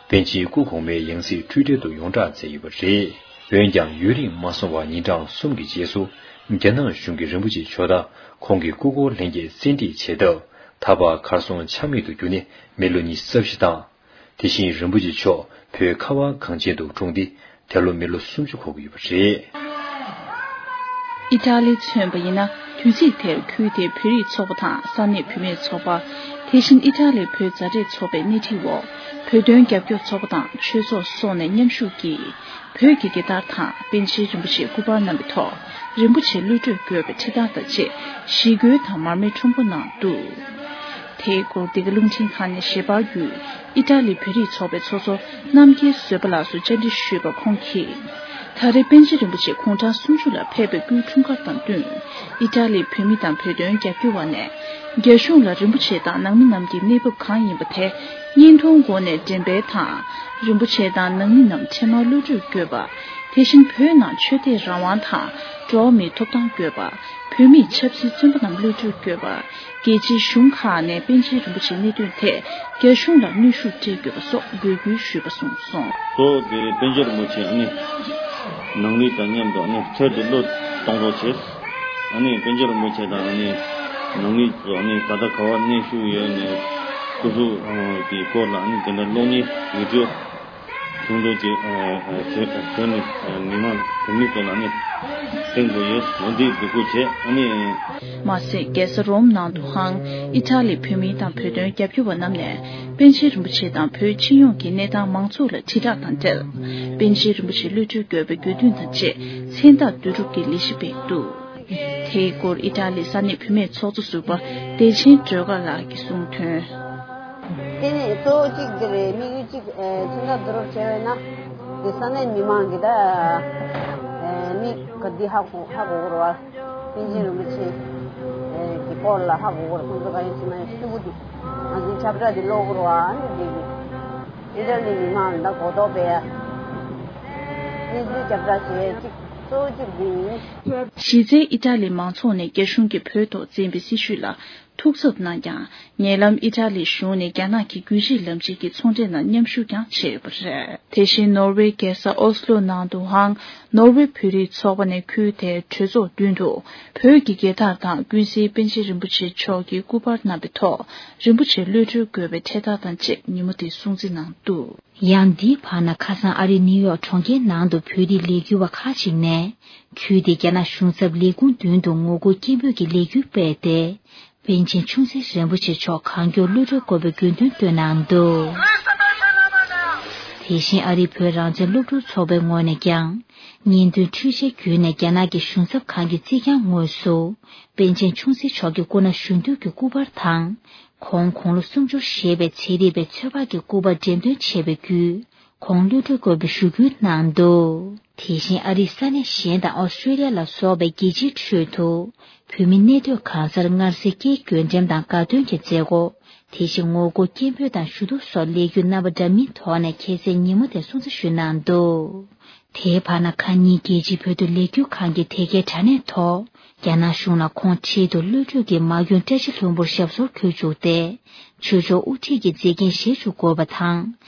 པཎ་ཆེན་སྐུ་གོང་མའི་ཡང་སྲིད་འཁྲུལ་བྲལ་དུ་ཡོངས་གྲགས་མཛད་ཡོད་པ་རེད། འོན་ཀྱང་ཡུན་རིང་མ་སོང་བར་ཉིན་གྲངས་གསུམ་གྱི་རྗེས་སུ་རྒྱ་ནག་གཞུང་གིས་རིན་པོ་ཆེ་མཆོག་དང་ཁོང་གི་སྐུ་འཁོར་ལྷན་རྒྱས་བཙན་ཁྲིད་བྱས་སྟབས། ད་བར་གར་སོང་ཆ་མེད་དུ་གྱུར་ནས་མི་ལོ་ཉི་ཤུ་རྩ་བཞི་དང་། དེ་བཞིན་རིན་པོ་ཆེ་མཆོག་བོད་ཁ་བ་གངས་ཅན་དུ་འཁྲུངས་ཏེ་དེ་ལོ་མི་ལོ་སུམ་ཅུ་འཁོར་གྱི་ཡོད་པ་རེད། ཨི་ཊ་ལི་མཚོན་པ་ཡིན་ན། དུས་ཚིགས་དེར་ཁུལ་དེའི་བོད་རིགས་ཚོགས་པ་དང་ས་གནས་བུད་མེད་ཚོགས་པ། དེ་བཞིན་ཨི་ཊ་ལིའི་བོད་མཛའ་འབྲེལ་ཚོགས་པའི་སྣེ་ཁྲིད་འོག་བོད་དོན་རྒྱབ་སྐྱོར་ཚོགས་པ་དང་ཆོས་ཚོགས་སོགས་ནས་མཉམ་ཞུགས་ཀྱིས། བོད་ཀྱི་རྒྱལ་དར་དང་པཎ་ཆེན་རིན་པོ་ཆེའི་སྐུ་པར་རྣམས་ཀྱི་ཐོག་རིན་པོ་ཆེ་གློད་གྲོལ་དགོས་པའི་འཕྲེད་དར་དང་བཅས་ཞི་རྒོལ་དང་མར་མེ་ཁྲོམ་སྐོར་གནང་འདུག་དེའི་སྐོར་འདི་ག་རླུང་འཕྲིན་ཁང་ནས་ཞལ་པར་བརྒྱུད། ཨི་ཊ་ལི་བོད་རིགས་ཚོགས་པའི་ཚོགས་གཙོ་རྣམ་རྒྱལ་བཟོད་པ་ལགས་སུ་བཅར་འདྲི་ཞུས་པར་ཁོང་གིས། ད་རེས་པཎ་ཆེན་རིན་པོ་ཆེ་དགུང་གྲངས་སུམ་ཅུ་ལ་ཕེབས་པའི་སྐུའི་འཁྲུངས་སྐར་དང་བསྟུན། ཨི་ཊ་ལིའི་བོད་མི་དང་བོད་དོན་རྒྱབ་སྐྱོར་བ་ནས། རྒྱ་གཞུང་ལ་རིན་པོ་ཆེ་དང་ནང་མི་རྣམས་ཀྱི་གནས་བབ་གང་ཡིན་པ་དེ་བརྙན་ཐུང་སྒོ་ནས་འགྲེམས་སྤེལ་དང་། རིན་པོ་ཆེ་དང་ནང་མི་རྣམས་འཕྲལ་མར་གློད་གྲོལ་དགོས་པ། དེ་བཞིན་བོད་ནང་ཆོས་དད་རང་དབང་དང་འགྲོ་བ་མིའི་ཐོབ་ཐང་དགོས་པ། བོད་མིའི་ཆབ་སྲིད་བཙོན་པ་རྣམས་གློད་གྲོལ་དགོས་པ། རྒྱལ་སྤྱིའི་གཞུང་ཁག་ནས་པཎ་ཆེན་རིན་པོ་ཆེའི་གནད་དོན་ཐད་རྒྱ་གཞུང་ལ་གནོན་ཤུགས་སྤྲད་དགོས་པ་སོགས་འབོད་སྐུལ་ཞུས་པ་གསུངས་སོང་། གཙོ་བོ་དེ་པཎ་ཆེན་རིན་པོ་ཆེ་ཨ་ནི་ནང་མི་དང་མཉམ་དུ་ཨ་ནི་འཕྲལ་དུ་བློས་གཏོང་རོགས་བྱེད། ཨ་ནི་པཎ་ཆེན་རིན་པོ་ཆེ་དང་ཨ་ནི་ནང་མི་ཚོ་ཨ་ནི་ད་ལྟ་ག་བར་གནས་བཞུགས་ཡོད་ནས་སྐུ་གཟུགས་ཀྱི་སྐོར་ལ་ཨ་ནི་དེ་འདྲ་གློག་བརྙན་བི་ཌི་ཡོ་བཟུང་འདུག་ཅེས་བྱས་ནས་མི་མང་བོད་མི་ཚོ་ལ་ཨ་ནི་སྟོན་དགོས་ཡོད། འོ་འདི་འབོད་སྐུལ་བྱས། ཨ་ནི། མ་ཟད་རྒྱལ་ས་རོམ་ནང་དུའང་ཨི་ཊ་ལིའི་བོད་མི་དང་བོད་དོན་རྒྱབ་སྐྱོར་བ་རྣམས་ནས་པཎ་ཆེན་རིན་པོ་ཆེ་དང་བོད་སྤྱི་ཡོངས་ཀྱི་གནས་སྟངས་མང་ཚོགས་ལ་དྲིལ་བསྒྲགས་དང་འབྲེལ། པཎ་ཆེན་རིན་པོ་ཆེ་གློད་གྲོལ་དགོས་པའི་དགོས་འདུན་དང་བཅས་མཚན་རྟགས་བསྡུ་རུབ་ཀྱི་ལས་གཞི་སྤེལ་འདུག་དེའི་སྐོར་ཨི་ཊ་ལིའི་ས་གནས་བུད་མེད་ཚོགས་གཙོ་ཟུར་པ་བདེ་ཆེན་སྒྲོལ་དཀར་ལགས་ཀྱིས་གསུངས་དོན། དེ་ནས་གཙོ་བོ་གཅིག་དེ་རེད། དམིགས་ཡུལ་གཅིག་ཨེ་མཚན་རྟགས་བསྡུ་རུབ་བྱས་པས་ན་དེ་ས་གནས་མི་མང་གི་ད་ཨེ་མི་ག་འདི་ཧ་གོ་ཧ་གོ་གི་རེད་བ། པཎ་ཆེན་རིན་པོ་ཆེ་ཨེ་གི་སྐོར་ལ་ཧ་གོ་གི་རེད། ཁོང་ཚོ་ག་ཡིན་ཟེར་ན་ཡང་ཤུ་གུ་འདི་ང་ཚོའི་ཁྱབ་བསྒྲགས་འདི་ཀློག་གི་རེད་བ། ཨ་ནི་དེ་གི་ཨི་ཊ་ལི་མི་མང་ལ་ད་གོ་རྟོགས་སྤེལ་ཡ། རྒྱབ་སྐྱོར་བྱེད་ཅིག་གཙོ་བོ་གཅིག་འདི་ཡིན། གཞི་རྩའི་ཨི་ཊ་ལི་མང་ཚོགས་ནས་རྒྱ་གཞུང་གིས་བོད་ཐོག་བཙན་པའི་སྲིད་བྱུས་ལ་ཐུགས་འཚབ་གནང་ཀྱང་། ཉེ་ལམ་ཨི་ཊ་ལིའི་གཞུང་ནས་རྒྱ་ནག་གི་བརྒྱུད་རིམ་ལམ་ཆེན་གྱི་ཚོང་འབྲེལ་ནང་མཉམ་ཞུགས་ཀྱང་བྱས་ཡོད་པ་རེད། དེ་བཞིན་ནོར་ཝེ་རྒྱལ་ས་ཨོ་སི་ལོ་ནང་དུའང་ནོར་ཝེ་བོད་རིགས་ཚོགས་པ་ནས་ཁུལ་དེའི་གྲོས་ཚོགས་མདུན་དུ་བོད་ཀྱི་རྒྱལ་དར་དང་ཀུན་གཟིགས་པཎ་ཆེན་རིན་པོ་ཆེ་མཆོག་གི་སྐུ་པར་བསྣམས་པའི་ཐོག་རིན་པོ་ཆེ་གློད་གྲོལ་དགོས་པའི་འཕྲེད་དར་དང་བཅས་ཉིན་མོ་དེ་སྲུང་བརྩི་གནང་འདུག། ཡང་འདིའི་བར་ན་ཁ་སང་ཨ་རིའི་ནིའུ་ཡོག་གྲོང་ཁྱེར་ནང་དུ་བོད་རིགས་ལས་འགུལ་བ་ཁག་ཅིག་ནས་ཁུལ་དེའི་རྒྱ་ནག་གཞུང་ཚབ་ལས་ཁུངས་མདུན་དུ་ངོ་རྒོལ་སྐད་འབོད་ཀྱི་ལས་འགུལ་སྤེལ་ཏེ། པཎ་ཆེན་ཆུང་སྲིད་རིན་པོ་ཆེ་མཆོག་གང་མགྱོགས་གློད་གྲོལ་དགོས་པའི་དགོས་འདུན་བཏོན་གནང་འདུག། དེ་བཞིན་ཨ་རིའི་བོད་རང་བཙན་སློབ་ཕྲུག་ཚོགས་པའི་ངོས་ནས་ཀྱང་། བརྙན་ཐུང་འཕྲུལ་ཆས་བརྒྱུད་ནས་རྒྱ་ནག་གི་གཞུང་ཚབ་ཁང་གི་རྩིག་གྱང་ངོས་སུ་པཎ་ཆེན་ཆུང་སྲིད་མཆོག་གི་སྐུ་ན་གཞོན་དུས་ཀྱི་སྐུ་པར་དང་། ཁོང་དགུང་ལོ་སུམ་ཅུ་བཞེས་པའི་ཚེ་རིལ་བའི་ཚོད་དཔག་གི་སྐུ་པར་འགྲེམས་སྟོན་བྱས་པའི་བརྒྱུད། ཁོང་གློད་གྲོལ་དགོས་པའི་ཞུ་སྐུལ་གནང་འདུག། དེ་བཞིན་ཨ་རིའི་ས་གནས་གཞན་དང་ཨོ་སི་ཀྲེ་ལི་ཡ་ལ་སོགས་པའི་རྒྱལ་སྤྱིའི་ཁྲོད་དུ། བོད་མི་གནས་སྡོད་གང་སར་སྔར་སྲོལ་སྐྱེལ་རྒྱུན་འགྲེམས་དང་དགའ་སྟོན་གྱི་མཛད་སྒོ། དེ་བཞིན་ངོ་རྒོལ་སྐད་འབོད་དང་ཞུ་གཏུག་སོགས་ལས་འགུལ་རྣམ་པ་འདྲ་མིན་ཐོག་ནས་ཁ་སང་ཉིན་མོ་དེ་སྲུང་བརྩི་ཞུས་གནང་འདུག། དེའི་བར་ན་ཁ་ཉིན་རྒྱལ་སྤྱིའི་བོད་དོན་ལས་འགུལ་ཁང་གི་དེ་གའི་དྲ་གནས་ཐོག་རྒྱ་ནག་གཞུང་ལ་ཁོང་འཕྲལ་དུ་གློད་གྲོལ་གྱིས་མ་འོངས་བཀྲ་ཤིས་ལྷུན་པོར་ཞབས་སོར་འཁོད་བཅུག་སྟེ། ཆོས་ཕྱོགས་དབུ་ཁྲིད་ཀྱི་མཛད་འགན་བཞེས་བཅུག་དགོས་པ་དང་།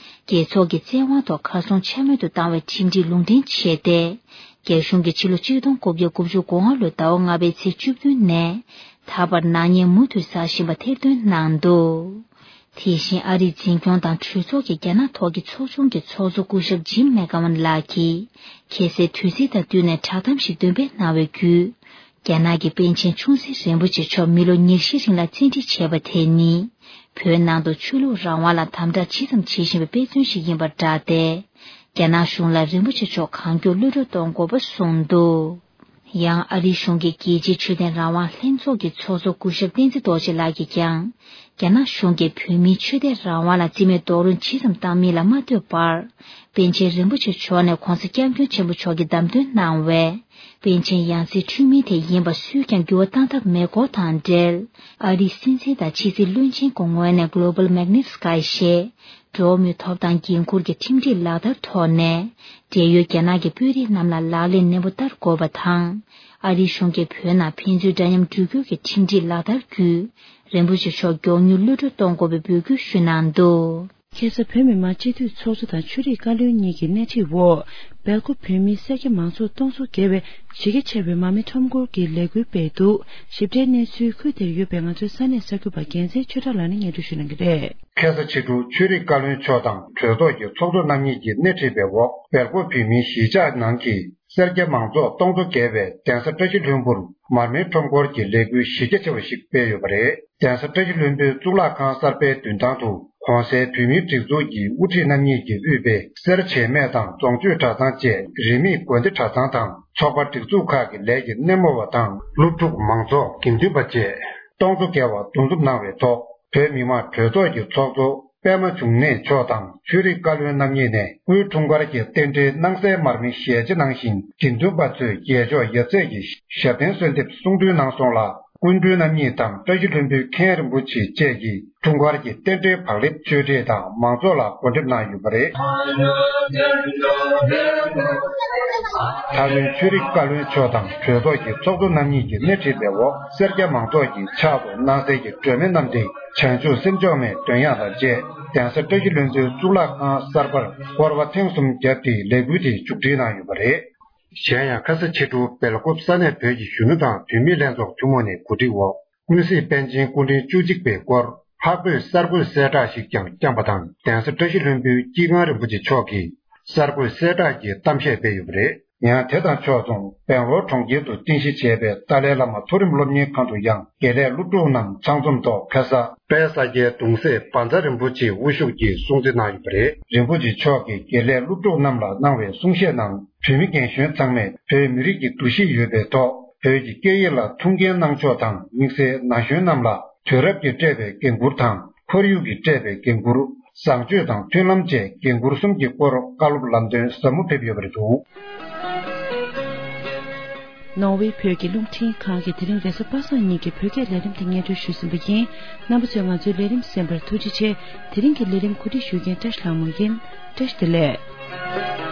རྒྱལ་ཚོགས་ཀྱི་བཙན་དབང་ཐོག་གར་སོང་འཕྱ་སྨོད་དུ་བཏང་བའི་ཁྲིམས་སྒྲིག་ལུང་འདྲེན་བྱས་ཏེ། རྒྱ་གཞུང་གིས་ཕྱི་ལོ་ཆིག་སྟོང་དགུ་བརྒྱ་དགུ་བཅུ་གོ་ལྔ་ལོའི་ཟླ་བ་ལྔ་པའི་ཚེས་བཅུ་བདུན་ནས་ད་བར་ནག་ཉེས་མུ་མཐུད་བསགས་བཞིན་པ་ཐེར་འདོན་གནང་འདུག། དེ་བཞིན་ཨ་རིའི་འཛིན་སྐྱོང་དང་གྲོས་ཚོགས་ཀྱི་རྒྱ་ནག་ཐོག་གི་ཚོགས་ཆུང་གི་ཚོགས་གཙོ་སྐུ་ཞབས་ཇིམ་མེག་གྷ་ཝན་ལགས་ཀྱིས་ཁ་སང་དུས་ཚིགས་དང་བསྟུན་ནས་བསྒྲགས་གཏམ་ཞིག་འདོན་སྤེལ་གནང་བའི་བརྒྱུད། རྒྱ་ནག་གི་པཎ་ཆེན་ཆུང་སྲིད་རིན་པོ་ཆེ་མཆོག་མི་ལོ་ཉེར་བཞི་རིང་ལ་བཙན་ཁྲིད་བྱས་པ་དེ་ནི། བོད་ནང་དུ་ཆོས་ལུགས་རང་དབང་ལ་དམ་དྲག་ཇི་ཙམ་བྱེད་བཞིན་པའི་དཔེ་མཚོན་ཞིག་ཡིན་པར་བསྒྲགས་ཏེ། རྒྱ་ནག་གཞུང་ལ་རིན་པོ་ཆེ་མཆོག་གང་མགྱོགས་གློད་གྲོལ་གཏོང་དགོས་པ་གསུངས་འདུག། ཡང་ཨ་རིའི་གཞུང་གི་རྒྱལ་སྤྱིའི་ཆོས་ལྡན་རང་དབང་ལྷན་ཚོགས་ཀྱི་ཚོགས་གཙོ་སྐུ་ཞབས་བསྟན་འཛིན་རྡོ་རྗེ་ལགས་ཀྱིས་ཀྱང་། རྒྱ་ནག་གཞུང་གིས་བོད་མིའི་ཆོས་དད་རང་དབང་ལ་རྩིས་མེད་རྡོག་རོལ་ཇི་ཙམ་བཏང་མིན་ལ་མ་ལྟོས་པར། པཎ་ཆེན་རིན་པོ་ཆེ་མཆོག་ནས་༧གོང་ས་༧སྐྱབས་མགོན་ཆེན་པོ་མཆོག་གིས་བདམས་ཐོན་གནང་བའི་པཎ་ཆེན་ཡང་སྲིད་འཁྲུལ་མིན་དེ་ཡིན་པ་སུས་ཀྱང་འགྱུར་བ་བཏང་ཐབས་མེད་སྐོར་དང་འབྲེལ། ཨ་རིའི་སྲིད་འཛིན་དང་ཕྱི་སྲིད་བློན་ཆེན་གྱི་ངོས་ནས་Global Magnitsky ཞེས། འགྲོ་བ་མིའི་ཐོབ་ཐང་འགན་འཁུར་གྱི་ཁྲིམས་སྒྲིག་ལག་བསྟར་ཐོག་ནས། འབྲེལ་ཡོད་རྒྱ་ནག་གི་དཔོན་རིགས་རྣམས་ལ་ལག་ལེན་ནན་པོ་བསྟར་དགོས་པ་དང་། ཨ་རིའི་གཞུང་གིས་བོད་ནང་ཕན་ཚུན་འདྲ་མཉམ་འགྲོ་སྐྱོད་ཀྱི་ཁྲིམས་སྒྲིག་ལག་བསྟར་བརྒྱུད། རིན་པོ་ཆེ་མཆོག་མགྱོགས་མྱུར་གློད་གྲོལ་གཏོང་དགོས་པའི་འབོད་སྐུལ་ཞུས་གནང་འདུག། ཁ་སང་བོད་མི་མང་སྤྱི་འཐུས་ཚོགས་གཙོ་དང་ཆོས་རིག་བཀའ་བློན་གཉིས་ཀྱི་སྣེ་ཁྲིད་འོག་སྦེལ་ཀོབ་བོད་མིའི་སེར་སྐྱ་མང་ཚོགས་སྟོང་ཚོ་བརྒལ་བས་གཞི་རྒྱ་ཆེ་བའི་མར་མེ་ཁྲོམ་སྐོར་གྱི་ལས་འགུལ་སྤེལ་འདུག། ཞིབ་ཕྲའི་གནས་ཚུལ་ཁུལ་དེར་ཡོད་པའི་ང་ཚོའི་ས་གནས་གསར་འགོད་པ་རྒྱལ་མཚན་ཆོས་གྲགས་ལགས་ནས་སྙན་སྒྲོན་ཞུ་གནང་གི་རེད། ཁ་སང་ཕྱི་དྲོ་ཆོས་རིག་བཀའ་བློན་མཆོག་དང་གྲོས་ཚོགས་ཀྱི་ཚོགས་གཙོ་རྣམ་གཉིས་ཀྱི་སྣེ་ཁྲིད་པའི་འོག་སྦེལ་ཀོབ་བོད་མིའི་གཞིས་ཆགས་ནང་གི་སེར་སྐྱ་མང་ཚོགས་སྟོང་ཚོ་བརྒལ་བས་གདན་ས་བཀྲ་ཤིས་ལྷུན་པོར་མར་མེ་ཁྲོམ་སྐོར་གྱི་ལས་འགུལ་གཞི་རྒྱ་ཆེ་བ་ཞིག་སྤེལ་ཡོད་པ་རེད། གདན་ས་བཀྲ་ཤིས་ལྷུན་པོའི་གཙུག་ལག་ཁང་གསར་པའི་མདུན་ཐང་དུ་གོང་གསལ་བོད་མིའི་སྒྲིག་འཛུགས་ཀྱི་དབུ་ཁྲིད་རྣམ་གཉིས་ཀྱིས་དབུས་པའི་སེ་ར་བྱེས་སྨད་དང་རྫོང་སྤྱོད་གྲྭ་ཚང་བཅས་རིས་མེད་དགོན་སྡེ་གྲྭ་ཚང་དང་ཚོགས་པ་སྒྲིག་འཛུགས་ཁག་གི་ལས་ཀྱི་སྣེ་མོ་བ་དང་སློབ་ཕྲུག་མང་ཚོགས་དགེ་འདུན་པ་བཅས་སྟོང་ཚོ་བརྒལ་བ་འདུ་འཛོམས་གནང་བའི་ཐོག་བོད་མི་མང་གྲོས་ཚོགས་ཀྱི་ཚོགས་གཙོ་པད་མ་འབྱུང་གནས་མཆོག་དང་ཆོས་རིག་བཀའ་བློན་རྣམ་གཉིས་ནས་སྐུའི་འཁྲུངས་སྐར་གྱི་རྟེན་འབྲེལ་སྣང་གསལ་མར་མེ་ཞལ་ཕྱེ་གནང་ཞིང་། དགེ་འདུན་པ་ཚོས་རྒྱལ་མཆོག་ཡབ་སྲས་ཀྱི་ཞབས་བརྟན་གསོལ་འདེབས་གསུང་གྲོས་གནང་སོང་ལ། སྐུ་མགྲོན་རྣམ་གཉིས་དང་བཀྲ་ཤིས་ལྷུན་པོའི་མཁན་རིན་པོ་ཆེ་བཅས་ཀྱིས་འཁྲུངས་སྐར་གྱི་རྟེན་འབྲེལ་བག་ལེབ་གཅོད་འབྲེལ་དང་མང་ཚོགས་ལ་གོ་སྒྲིག་གནང་ཡོད་པ་རེད། མཐའ་དོན་ཆོས་རིག་བཀའ་བློན་མཆོག་དང་གྲོས་ཚོགས་ཀྱི་ཚོགས་གཙོ་རྣམ་གཉིས་ཀྱི་སྣེ་ཁྲིད་པའི་འོག་སེར་སྐྱ་མང་ཚོགས་ཀྱིས་ཕྱག་ཏུ་སྣང་གསལ་གྱི་སྒྲོན་མེ་བསྣམས་ཏེ། བྱང་ཆུབ་སེམས་མཆོག་མའི་འདོན་ཡག་དང་བཅས་གདན་ས་བཀྲ་ཤིས་ལྷུན་པོའི་གཙུག་ལག་ཁང་གསར་པར་སྐོར་བ་ཐེངས་གསུམ་བརྒྱབ་སྟེ་ལས་འགུལ་དེ་མཇུག་སྒྲིལ་གནང་ཡོད་པ་རེད། གཞན་ཡང་ཁ་ས་ཕྱི་དྲོ་སྦེལ་ཀོབ་ས་གནས་བོད་ཀྱི་གཞོན་ནུ་དང་བུད་མེད་ལྷན་ཚོགས་ཐུན་མོང་ནས་གོ་སྒྲིག་འོག་ཀུན་གཟིགས་པཎ་ཆེན་སྐུ་ཕྲེང་བཅུ་གཅིག་པའི་སྐོར་འཕགས་བོད་གསར་འགོད་གསལ་བསྒྲགས་ཤིག་ཀྱང་བསྐྱངས་པ་དང་། གདན་ས་བཀྲ་ཤིས་ལྷུན་པོའི་སྐྱེས་སྒང་རིན་པོ་ཆེ་མཆོག་གིས་གསར་འགོད་གསལ་བསྒྲགས་ཀྱི་གཏམ་བཤད་སྤེལ་ཡོད་པ་རེད། ཡང་དེ་དང་ཕྱོགས་མཚུངས་སྦེང་ལོར་གྲོང་ཁྱེར་དུ་རྟེན་གཞི་བྱས་པའི་ཏཱ་ལའི་བླ་མ་མཐོ་རིམ་སློབ་གཉེར་ཁང་དུ་ཡང་དགེ་ལས་སློབ་ཕྲུག་རྣམས་ཚང་འཛོམས་ཐོག་ཁ་ས་དཔལ་ས་སྐྱའི་གདུང་སྲས་བཛྲ་རིན་པོ་ཆེ་དབུ་བཞུགས་ཀྱིས་སྲུང་བརྩི་གནང་ཡོད་པ་རེད། རིན་པོ་ཆེ་མཆོག་གིས་དགེ་ལས་སློབ་ཕྲུག་རྣམས་ལ་གནང་བའི་གསུང་བཤད་ནང་བོད་མི་རྒན་གཞོན་ཚང་མས་བོད་མི་རིགས་ཀྱི་འདུ་ཤེས་ཡོད་པའི་ཐོག་བོད་ཀྱི་སྐད་ཡིག་ལ་ཐུགས་འགན་གནང་ཕྱོགས་དང་། དམིགས་བསལ་ན་གཞོན་རྣམས་ལ་དུས་རབས་ཀྱིས་སྤྲད་པའི་འགན་འཁུར་དང་། ཁོར་ཡུག་གིས་སྤྲད་པའི་འགན་འཁུར། བཟང་སྤྱོད་དང་མཐུན་ལམ་བཅས་འགན་འཁུར་གསུམ་གྱི་སྐོར་བཀའ་སློབ་ལམ་སྟོན་ཟབ་མོ་ཕེབས་ཡོད་པ་རེད་འདུག། ནོར་ཝེ་བོད་ཀྱི་རླུང་འཕྲིན་ཁང་གིས་དེ་རིང་རེས་གཟའ་པ་སངས་ཉིན་གྱི་བོད་སྐད་ལས་རིམ་དེ་སྙན་སྒྲོན་ཞུས་ཟིན་པ་ཡིན། རྣམ་པ་ཚོས་ང་ཚོའི་ལས་རིམ་གསན་པར་ཐུགས་རྗེ་ཆེ། དེ་རིང་གི་ལས་རིམ་གོ་སྒྲིག་ཞུ་མཁན་བཀྲ་ཤིས་ལྷ་མོ་ཡིན། བཀྲ་ཤིས་བདེ་ལེགས།